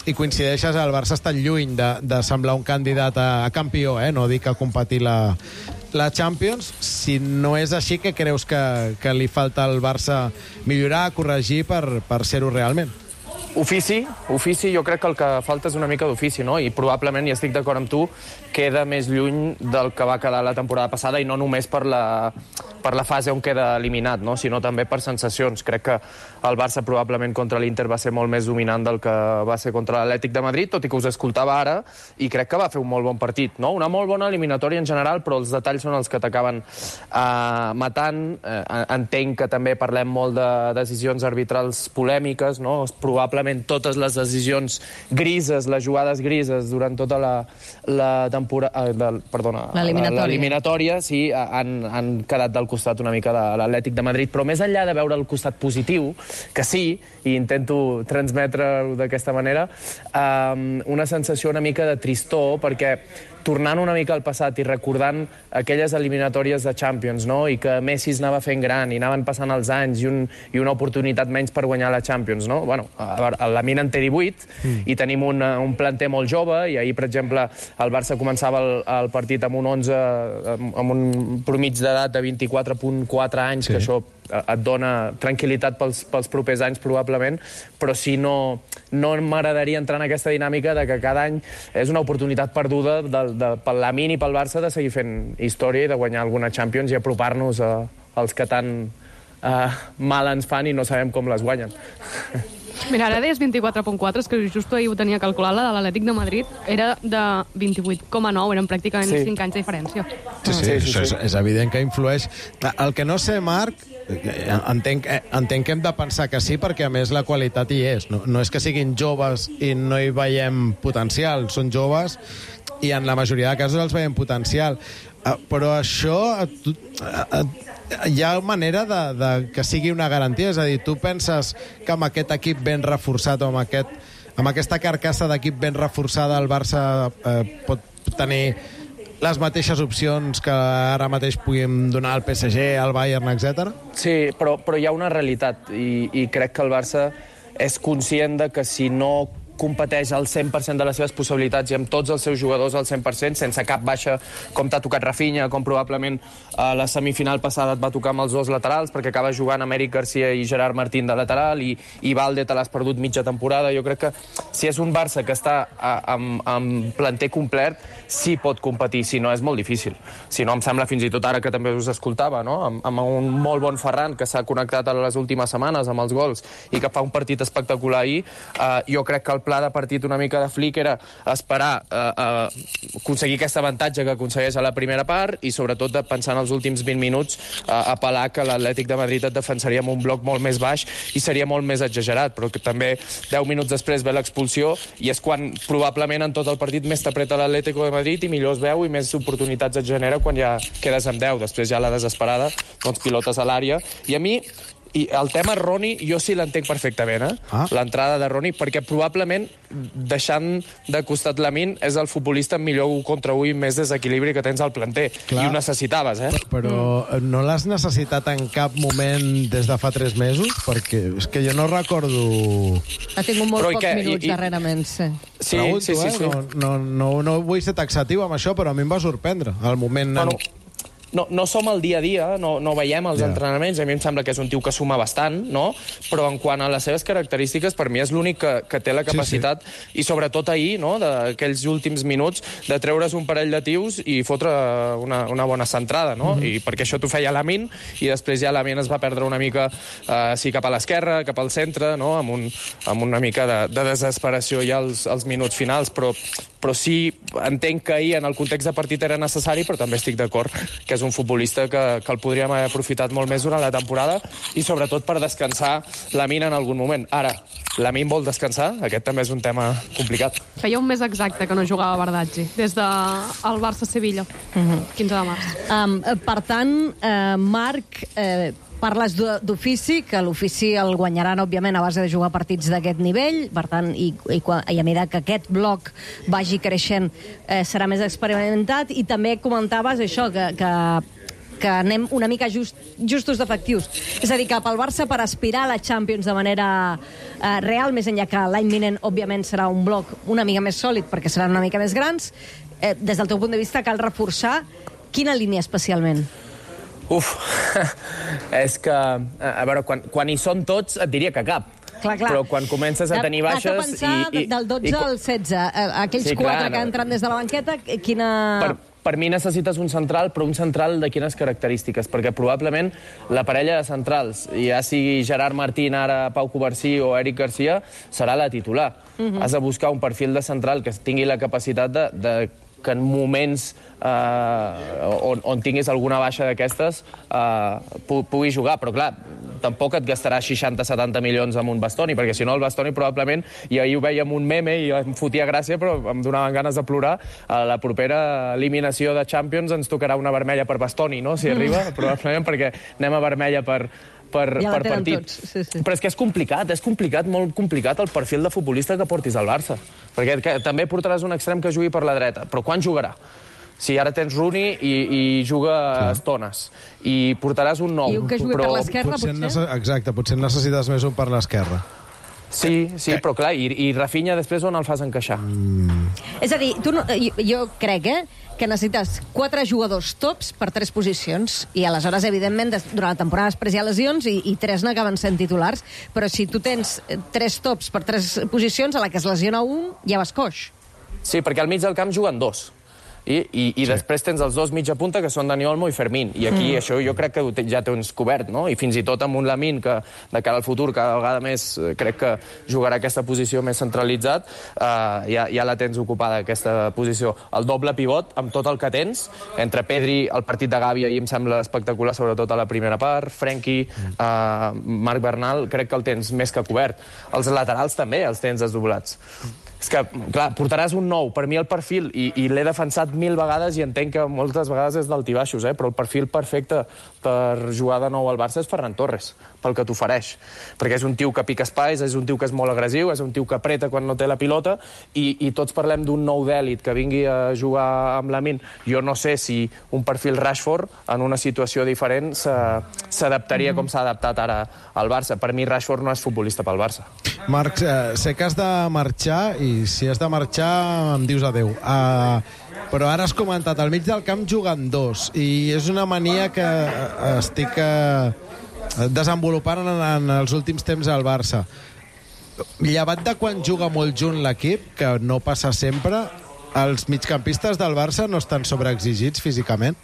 hi coincideixes, el Barça està lluny de, de semblar un candidat a, a campió, eh? No dic a competir la, la Champions. Si no és així, què creus que, que li falta al Barça millorar, corregir per, per ser-ho realment? Ofici, ofici, jo crec que el que falta és una mica d'ofici, no? I probablement, i estic d'acord amb tu, queda més lluny del que va quedar la temporada passada, i no només per la, per la fase on queda eliminat, no? Sinó també per sensacions. Crec que el Barça probablement contra l'Inter va ser molt més dominant del que va ser contra l'Atlètic de Madrid, tot i que us escoltava ara, i crec que va fer un molt bon partit, no? Una molt bona eliminatòria en general, però els detalls són els que t'acaben eh, matant. Eh, entenc que també parlem molt de decisions arbitrals polèmiques, no? Probablement totes les decisions grises, les jugades grises durant tota la, la temporada, eh, perdona, l'eliminatòria, l'eliminatòria sí, han, han quedat del costat una mica de l'Atlètic de Madrid, però més enllà de veure el costat positiu, que sí, i intento transmetre-ho d'aquesta manera, eh, una sensació una mica de tristor, perquè tornant una mica al passat i recordant aquelles eliminatòries de Champions, no? I que Messi es anava fent gran i anaven passant els anys i, un, i una oportunitat menys per guanyar la Champions, no? Bueno, la Mina en té divuit mm. i tenim un, un planter molt jove, i ahir, per exemple, el Barça començava el, el partit amb un onze, amb un promig d'edat de vint-i-quatre coma quatre anys, sí. Que això et dona tranquil·litat pels, pels propers anys, probablement, però si no, no m'agradaria entrar en aquesta dinàmica de que cada any és una oportunitat perduda de, de, pel Lamine i pel Barça de seguir fent història i de guanyar alguna Champions i apropar-nos a, als que tant eh, mal ens fan i no sabem com les guanyen. Mira, ara deies vint-i-quatre coma quatre, és que just ahir ho tenia calculat, la de l'Atlètic de Madrid era de vint-i-vuit coma nou, eren pràcticament sí. cinc anys de diferència. Sí, sí, sí, sí, sí. És, és evident que influeix. El que no sé, Marc, entenc, entenc que hem de pensar que sí, perquè a més la qualitat hi és. No, no és que siguin joves i no hi veiem potencial, són joves i en la majoria de casos els veiem potencial. Però això hi ha manera de, de que sigui una garantia? És a dir, tu penses que amb aquest equip ben reforçat o amb, aquest, amb aquesta carcassa d'equip ben reforçada el Barça eh, pot tenir les mateixes opcions que ara mateix puguem donar al P S G, al Bayern, etcètera? Sí, però, però hi ha una realitat i, i crec que el Barça és conscient de que si no competeix al cent per cent de les seves possibilitats i amb tots els seus jugadors al cent per cent, sense cap baixa, com t'ha tocat Rafinha, com probablement a la semifinal passada et va tocar amb els dos laterals, perquè acaba jugant amb Eric Garcia i Gerard Martín de lateral, i, i Valde te l'has perdut mitja temporada. Jo crec que si és un Barça que està a, amb, amb planter complet, sí pot competir, si no és molt difícil. Si no, em sembla fins i tot ara que també us escoltava, no? amb, amb un molt bon Ferran que s'ha connectat a les últimes setmanes amb els gols i que fa un partit espectacular ahir, uh, jo crec que el pla de partit una mica de Flick era esperar a, a aconseguir aquest avantatge que aconsegueix a la primera part i sobretot de pensar en els últims vint minuts a apel·lar que l'Atlètic de Madrid et defensaria amb un bloc molt més baix i seria molt més exagerat, però que també deu minuts després ve l'expulsió i és quan probablement en tot el partit més t'apreta l'Atlético de Madrid i millor es veu i més oportunitats et genera quan ja quedes amb deu. Després ja la desesperada, doncs pilotes a l'àrea. I a mi I el tema Roni, jo sí l'entenc perfectament, eh? Ah. L'entrada de Roni, perquè probablement, deixant de costat Lamine, és el futbolista amb millor un contra un i més desequilibri que tens al planter. Clar. I ho necessitaves, eh? Però mm. no l'has necessitat en cap moment des de fa tres mesos? Perquè és que jo no recordo... Ha tingut molt pocs què? minuts I, i... darrerament, sí. Sí, Pregunto, sí, sí, eh? sí. No, no, no, no vull ser taxatiu amb això, però a mi em va sorprendre. El moment... Bueno, no, no som al dia a dia, no, no veiem els yeah. entrenaments, a mi em sembla que és un tio que suma bastant, no? Però en quant a les seves característiques, per mi és l'únic que, que té la capacitat, sí, sí. i sobretot ahir, no?, d'aquells últims minuts, de treure's un parell de tios i fotre una, una bona centrada, no? Mm-hmm. I perquè això t'ho feia Lamine, i després ja Lamine es va perdre una mica, eh, sí, cap a l'esquerra, cap al centre, no?, amb, un, amb una mica de, de desesperació ja als, als minuts finals, però, però sí, entenc que ahir en el context de partit era necessari, però també estic d'acord que és és un futbolista que, que el podríem haver aprofitat molt més durant la temporada i sobretot per descansar Lamine en algun moment. Ara, Lamine vol descansar? Aquest també és un tema complicat. Feia un mes exacte que no jugava Bardaggi, des del Barça-Sevilla, uh-huh. quinze de març. Um, per tant, eh, Marc, eh, parles d'ofici, que l'ofici el guanyaran, òbviament, a base de jugar partits d'aquest nivell, per tant, i, i, i a mesura que aquest bloc vagi creixent, eh, serà més experimentat, i també comentaves això, que, que, que anem una mica just, justos d'efectius. És a dir, que pel Barça, per aspirar a la Champions de manera eh, real, més enllà que l'any vinent, òbviament, serà un bloc una mica més sòlid, perquè seran una mica més grans, eh, des del teu punt de vista, cal reforçar quina línia especialment? Uf, és que, a veure, quan, quan hi són tots et diria que cap. Clar, clar. Però quan comences a tenir baixes... Has de pensar i, i, del dotze i, al setze, aquells sí, quatre clar, que entren des de la banqueta, quina... Per, per mi necessites un central, però un central de quines característiques? Perquè probablement la parella de centrals, ja sigui Gerard Martín, ara Pau Covarsí o Eric Garcia, serà la titular. Uh-huh. Has de buscar un perfil de central que tingui la capacitat de... de que en moments eh, on, on tinguis alguna baixa d'aquestes eh, pu pugui jugar, però clar, tampoc et gastaràs seixanta setanta milions amb un Bastoni, perquè si no el Bastoni probablement, i ahir ho veiem un meme i em fotia gràcia, però em donaven ganes de plorar, a la propera eliminació de Champions ens tocarà una vermella per Bastoni, no?, si arriba, probablement, perquè anem a vermella per... per, ja per partit. Sí, sí. Però és que és complicat, és complicat, molt complicat el perfil de futbolista que portis al Barça. Perquè que, també portaràs un extrem que jugui per la dreta. Però quan jugarà? Si ara tens Rooney i, i juga Clar. estones. I portaràs un nou. I un que jugui però... per l'esquerra, potser? potser? Exacte, potser necessites més un per l'esquerra. Sí, sí, però clar, i, i Rafinha després on el fas encaixar? Mm. És a dir, tu no, jo, jo crec eh, que necessites quatre jugadors tops per tres posicions, i aleshores, evidentment, des, durant la temporada després hi ha lesions i, i tres n'acaben sent titulars, però si tu tens tres tops per tres posicions, a la que es lesiona un, ja vas coix. Sí, perquè al mig del camp juguen dos. I, i, i sí. després tens els dos mitja punta, que són Dani Olmo i Fermín. I aquí mm. això jo crec que ja tens cobert, no? I fins i tot amb un Lamine que, de cara al futur, cada vegada més crec que jugarà aquesta posició més centralitzat, eh, ja, ja la tens ocupada, aquesta posició. El doble pivot, amb tot el que tens, entre Pedri, el partit de Gavi, ahir em sembla espectacular, sobretot a la primera part, Frenkie, eh, Marc Bernal, crec que el tens més que cobert. Els laterals també els tens desdoblats. És que, clar, portaràs un nou. Per mi el perfil, i, i l'he defensat mil vegades i entenc que moltes vegades és d'altibaixos, eh? Però el perfil perfecte per jugar de nou al Barça és Ferran Torres, pel que t'ofereix. Perquè és un tio que pica espais, és un tio que és molt agressiu, és un tio que apreta quan no té la pilota, i, i tots parlem d'un nou d'èlit que vingui a jugar amb Lamine. Jo no sé si un perfil Rashford, en una situació diferent, s'adaptaria com s'ha adaptat ara al Barça. Per mi Rashford no és futbolista pel Barça. Marc, eh, sé que has de marxar, i si has de marxar em dius adeu. Uh, però ara has comentat, al mig del camp juguen dos, i és una mania que estic uh, desenvolupant en, en els últims temps al Barça. Llevat de quan juga molt junt l'equip, que no passa sempre, els migcampistes del Barça no estan sobreexigits físicament?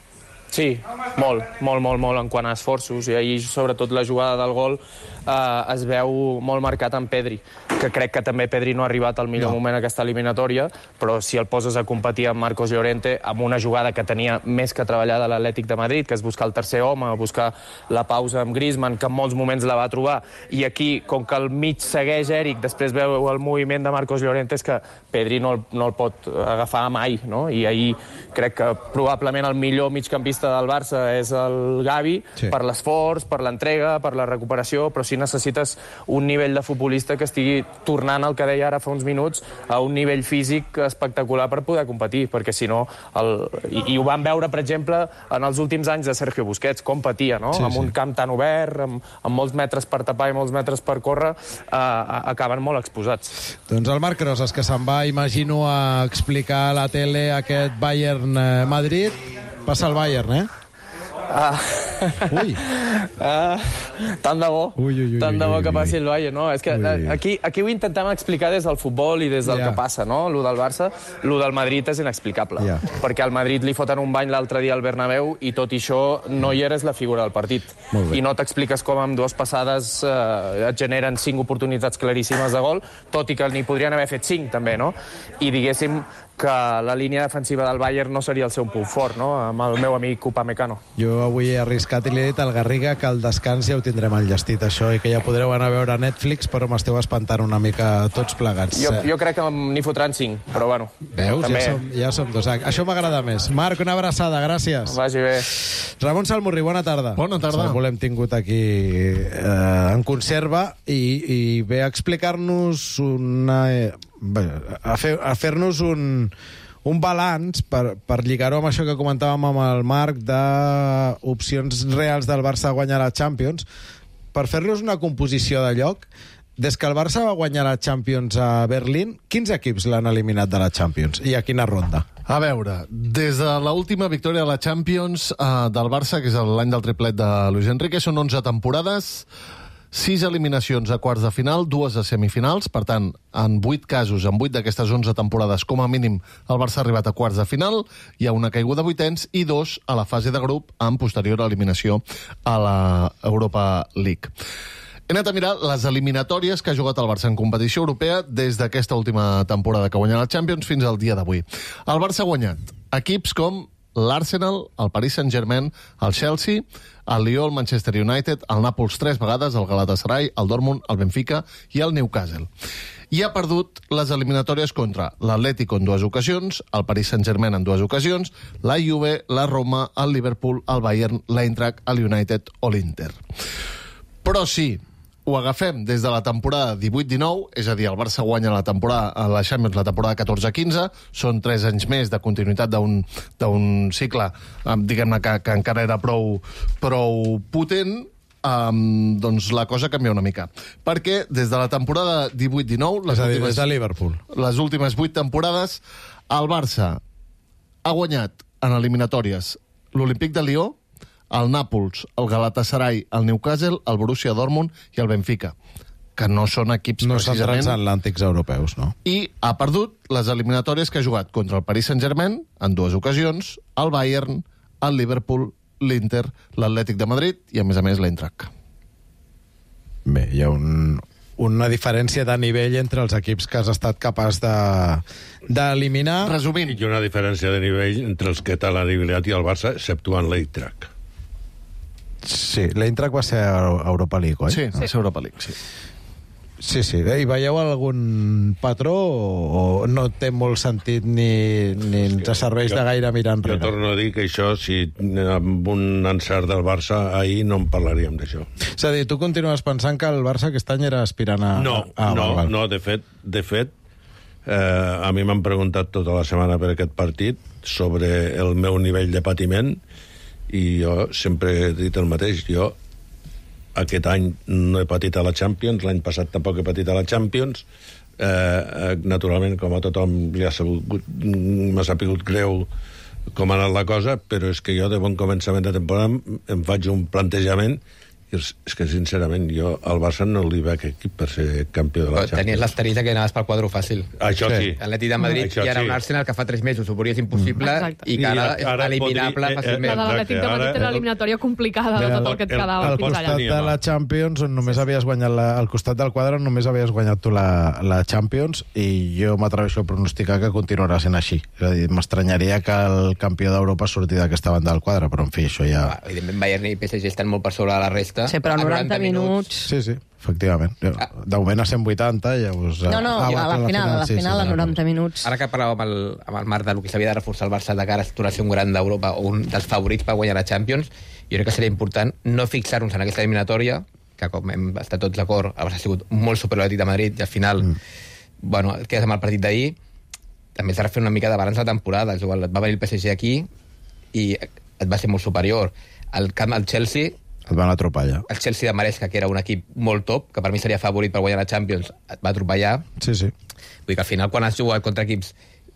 Sí, molt, molt, molt, molt en quant a esforços, i ahir sobretot la jugada del gol eh, es veu molt marcat en Pedri, que crec que també Pedri no ha arribat al millor no. moment a aquesta eliminatòria, però si el poses a competir amb Marcos Llorente, amb una jugada que tenia més que treballada l'Atlètic de Madrid, que és buscar el tercer home, buscar la pausa amb Griezmann, que en molts moments la va trobar, i aquí, com que el mig segueix Eric, després veu el moviment de Marcos Llorente, és que Pedri no el, no el pot agafar mai, no? I ahir crec que probablement el millor migcampista del Barça és el Gavi, sí. per l'esforç, per l'entrega, per la recuperació, però sí necessites un nivell de futbolista que estigui tornant el que deia ara fa uns minuts a un nivell físic espectacular per poder competir, perquè si no el... I, i ho vam veure, per exemple, en els últims anys de Sergio Busquets, com patia, no? Sí, amb sí. un camp tan obert, amb, amb molts metres per tapar i molts metres per córrer, eh, acaben molt exposats. Doncs el Marc Rosas, que se'n va, imagino, a explicar a la tele aquest Bayern-Madrid. Passa el Bayern, eh? Ah. Ui. Ah. Tant de bo. Ui, ui, ui, tant de bo ui, que ui. passi el Bayern, no? És que ui. aquí, aquí ho intentem explicar des del futbol i des del yeah. que passa, no? Lo del Barça, lo del Madrid és inexplicable. Yeah. Perquè al Madrid li foten un bany l'altre dia al Bernabéu i tot i això no hi eres la figura del partit. I no t'expliques com amb dues passades eh, et generen cinc oportunitats claríssimes de gol, tot i que n'hi podrien haver fet cinc, també, no? I diguéssim, que la línia defensiva del Bayern no seria el seu punt fort, no?, amb el meu amic Upamecano. Jo avui he arriscat i li he dit al Garriga que al descans ja ho tindrem enllestit, això, i que ja podreu anar a veure a Netflix, però m'esteu espantant una mica tots plegats. Jo, jo crec que n'hi fotran cinc, però bueno. Veus? També... Ja, som, ja som dos. Això m'agrada més. Marc, una abraçada, gràcies. Vagi bé. Ramon Salmurri, bona tarda. Bona tarda. Salmurri l'hem tingut aquí eh, en conserva i, i ve a explicar-nos una... Eh, a fer, a fer-nos un... un balanç, per, per lligar-ho amb això que comentàvem amb el Marc, d'opcions reals del Barça a guanyar la Champions, per fer-los una composició de lloc. Des que el Barça va guanyar la Champions a Berlín, quins equips l'han eliminat de la Champions? I a quina ronda? A veure, des de l'última victòria de la Champions eh, del Barça, que és l'any del triplet de Luis Enrique, són onze temporades, sis eliminacions a quarts de final, dues a semifinals. Per tant, en vuit casos, en vuit d'aquestes onze temporades, com a mínim, el Barça ha arribat a quarts de final. Hi ha una caiguda a vuitens i dos a la fase de grup, amb posterior eliminació a la Europa League. He anat a mirar les eliminatòries que ha jugat el Barça en competició europea des d'aquesta última temporada que guanya la Champions fins al dia d'avui. El Barça ha guanyat equips com l'Arsenal, el Paris Saint-Germain, el Chelsea, el Lyon, el Manchester United, el Nàpols tres vegades, el Galatasaray, el Dortmund, el Benfica i el Newcastle. I ha perdut les eliminatòries contra l'Atlético en dues ocasions, el Paris Saint-Germain en dues ocasions, la Juve, la Roma, el Liverpool, el Bayern, l'Eintracht, el United o l'Inter. Però sí, ho agafem des de la temporada divuit dinou, és a dir, el Barça guanya la temporada a la Champions la temporada catorze quinze, són tres anys més de continuïtat d'un d'un cicle, diguem-ne, que, que encara era prou, prou potent, um, doncs la cosa canvia una mica. Perquè des de la temporada divuit dinou, les, és a dir, últimes, des de Liverpool, les últimes vuit temporades, el Barça ha guanyat en eliminatòries l'Olímpic de Lió, el Nàpols, el Galatasaray, el Newcastle, el Borussia Dortmund i el Benfica, que no són equips no precisament... són transatlàntics europeus, no? I ha perdut les eliminatòries que ha jugat contra el Paris Saint-Germain, en dues ocasions, el Bayern, el Liverpool, l'Inter, l'Atlètic de Madrid i, a més a més, l'Eintracht. Bé, hi ha un, una diferència de nivell entre els equips que has estat capaç de d'eliminar. Resumint. Hi ha una diferència de nivell entre els que t'han eliminat i el Barça, exceptuant l'Eintracht. Sí, l'Eintracht va ser a Europa League, oi? Sí, va ser Europa League, sí. Sí, sí. I veieu algun patró o no té molt sentit ni, ni ens serveix de gaire mirar enrere? Jo torno a dir que això, si amb un encert del Barça, ahir no en parlaríem d'això. És a dir, tu continues pensant que el Barça aquest any era aspirant a... No, a, a no, Val. no, de fet, de fet eh, a mi m'han preguntat tota la setmana per aquest partit sobre el meu nivell de patiment i jo sempre he dit el mateix. Jo aquest any no he patit a la Champions, l'any passat tampoc he patit a la Champions. Eh, naturalment, com a tothom li ha sabut, m'ha sapigut greu com ha anat la cosa, però és que jo de bon començament de temporada em faig un plantejament i és que sincerament jo al Barça no li veig equip per ser campió de la Champions. Tenies l'esterita que anaves pel quadro fàcil. Això sí. L'Atlètic de Madrid Això i ara sí. un Arsenal que fa tres mesos ho veuries impossible Exacte. i que ara, I ara és eliminable podria- fàcilment. La de l'Atlètic de Madrid era l'eliminatòria complicada de tot el que et quedava Al fins allà. costat de la Champions, on només havies guanyat la, al costat del quadre, on només havies guanyat tu la, la Champions, i jo m'atreveixo a pronosticar que continuarà sent així. És a dir, m'estranyaria que el campió d'Europa surti d'aquesta banda del quadre, però en fi, això ja... Ah, evidentment, Bayern i P S G estan molt per sobre de la resta. Sí, però A noranta minuts... Sí, sí, efectivament. De moment a cent vuitanta, llavors... No, no, ah, a la final, a la sí, final sí, a noranta minuts. Ara que parlàvem amb el, amb el Marc del que s'havia de reforçar el Barça de cara a tornar a ser un gran d'Europa o un dels favorits per guanyar la Champions, jo crec que seria important no fixar-nos en aquesta eliminatòria, que com hem estat tots d'acord, el Barça ha sigut molt superior a l'Atlètic de Madrid i al final, mm. bueno, quedes amb el partit d'ahir, també s'ha de fer una mica de balanç de temporada. Igual et va venir el P S G aquí i et va ser molt superior. Al camp del Chelsea et van atropellar. El Chelsea de Maresca, que era un equip molt top, que per mi seria favorit per guanyar la Champions, et va atropellar. Sí, sí. Vull dir que al final, quan has jugat contra equips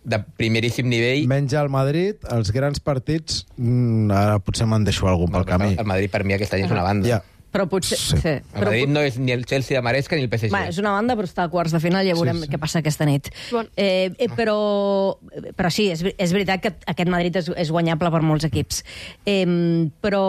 de primeríssim nivell... Menys el Madrid, els grans partits, mm, ara potser me'n deixo algun pel camí. El Madrid per mi aquest any és una banda. Ja. Però potser... Sí. Sí. El Madrid no és ni el Chelsea de Maresca ni el P S G. Va, és una banda, però està a quarts de final, ja veurem sí, sí. què passa aquesta nit. Bon. Eh, eh, però, però sí, és, és veritat que aquest Madrid és, és guanyable per molts equips. Eh, però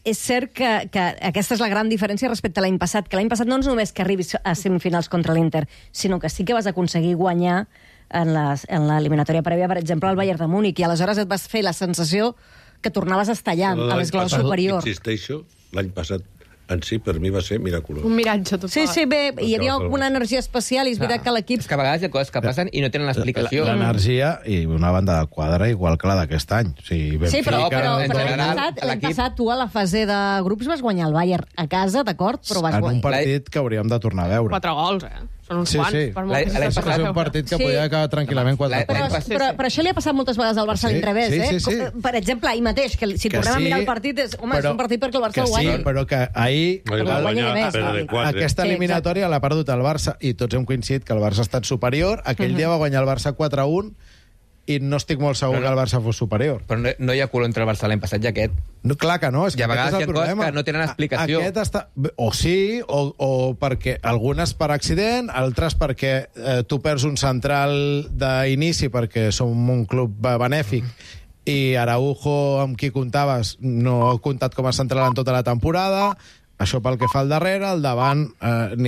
és cert que, que aquesta és la gran diferència respecte a l'any passat, que l'any passat no és només que arribis a semifinals contra l'Inter, sinó que sí que vas aconseguir guanyar en, les, en l'eliminatòria prèvia, per exemple, al Bayern de Múnich, i aleshores et vas fer la sensació que tornaves a estar allà, a l'esglaó superior. Insisteixo, l'any passat en si, per mi, va ser miraculós. Un miratge total. Sí, sí, bé, hi havia una energia especial i és veritat que l'equip... És que a vegades hi ha coses que passen i no tenen l'explicació. L'energia i una banda de quadre igual que la d'aquest any. O sigui, sí, però, Benfica, però, en però general, l'any passat, l'any passat tu a la fase de grups vas guanyar el Bayern a casa, d'acord? Però vas en guanyar. un partit que hauríem de tornar a veure. Quatre gols, eh? Són uns Sí, quants. sí. Per molt que L'any s'hi passat és un partit que Sí. podia acabar tranquil·lament quatre Però, punts. però, però això li ha passat moltes vegades al Barça Sí, a l'inrevés, sí, eh? sí, sí. Com- Per exemple, ahir mateix, que si Que tornem sí, a mirar el partit, és, home, és però- un partit perquè el Barça Que el sí, guanya. però que ahir Però el guanya de més, però de quatre. aquesta Sí, eliminatòria l'ha perdut el Barça i tots hem coincidit que el Barça ha estat superior. Aquell Mhm. dia va guanyar el Barça quatre a un i no estic molt segur que el Barça fos superior. Però no, no hi ha color entre el Barça l'any passat i aquest. No, clar que no, és que I a aquest vegades és hi el ha coses problema. que no tenen explicació. Aquest està... O sí, o, o perquè algunes per accident, altres perquè eh, tu perds un central d'inici perquè som un club benèfic i Araujo, amb qui comptaves, no ha comptat com a central en tota la temporada. Això pel que fa al darrere, al davant, eh, ni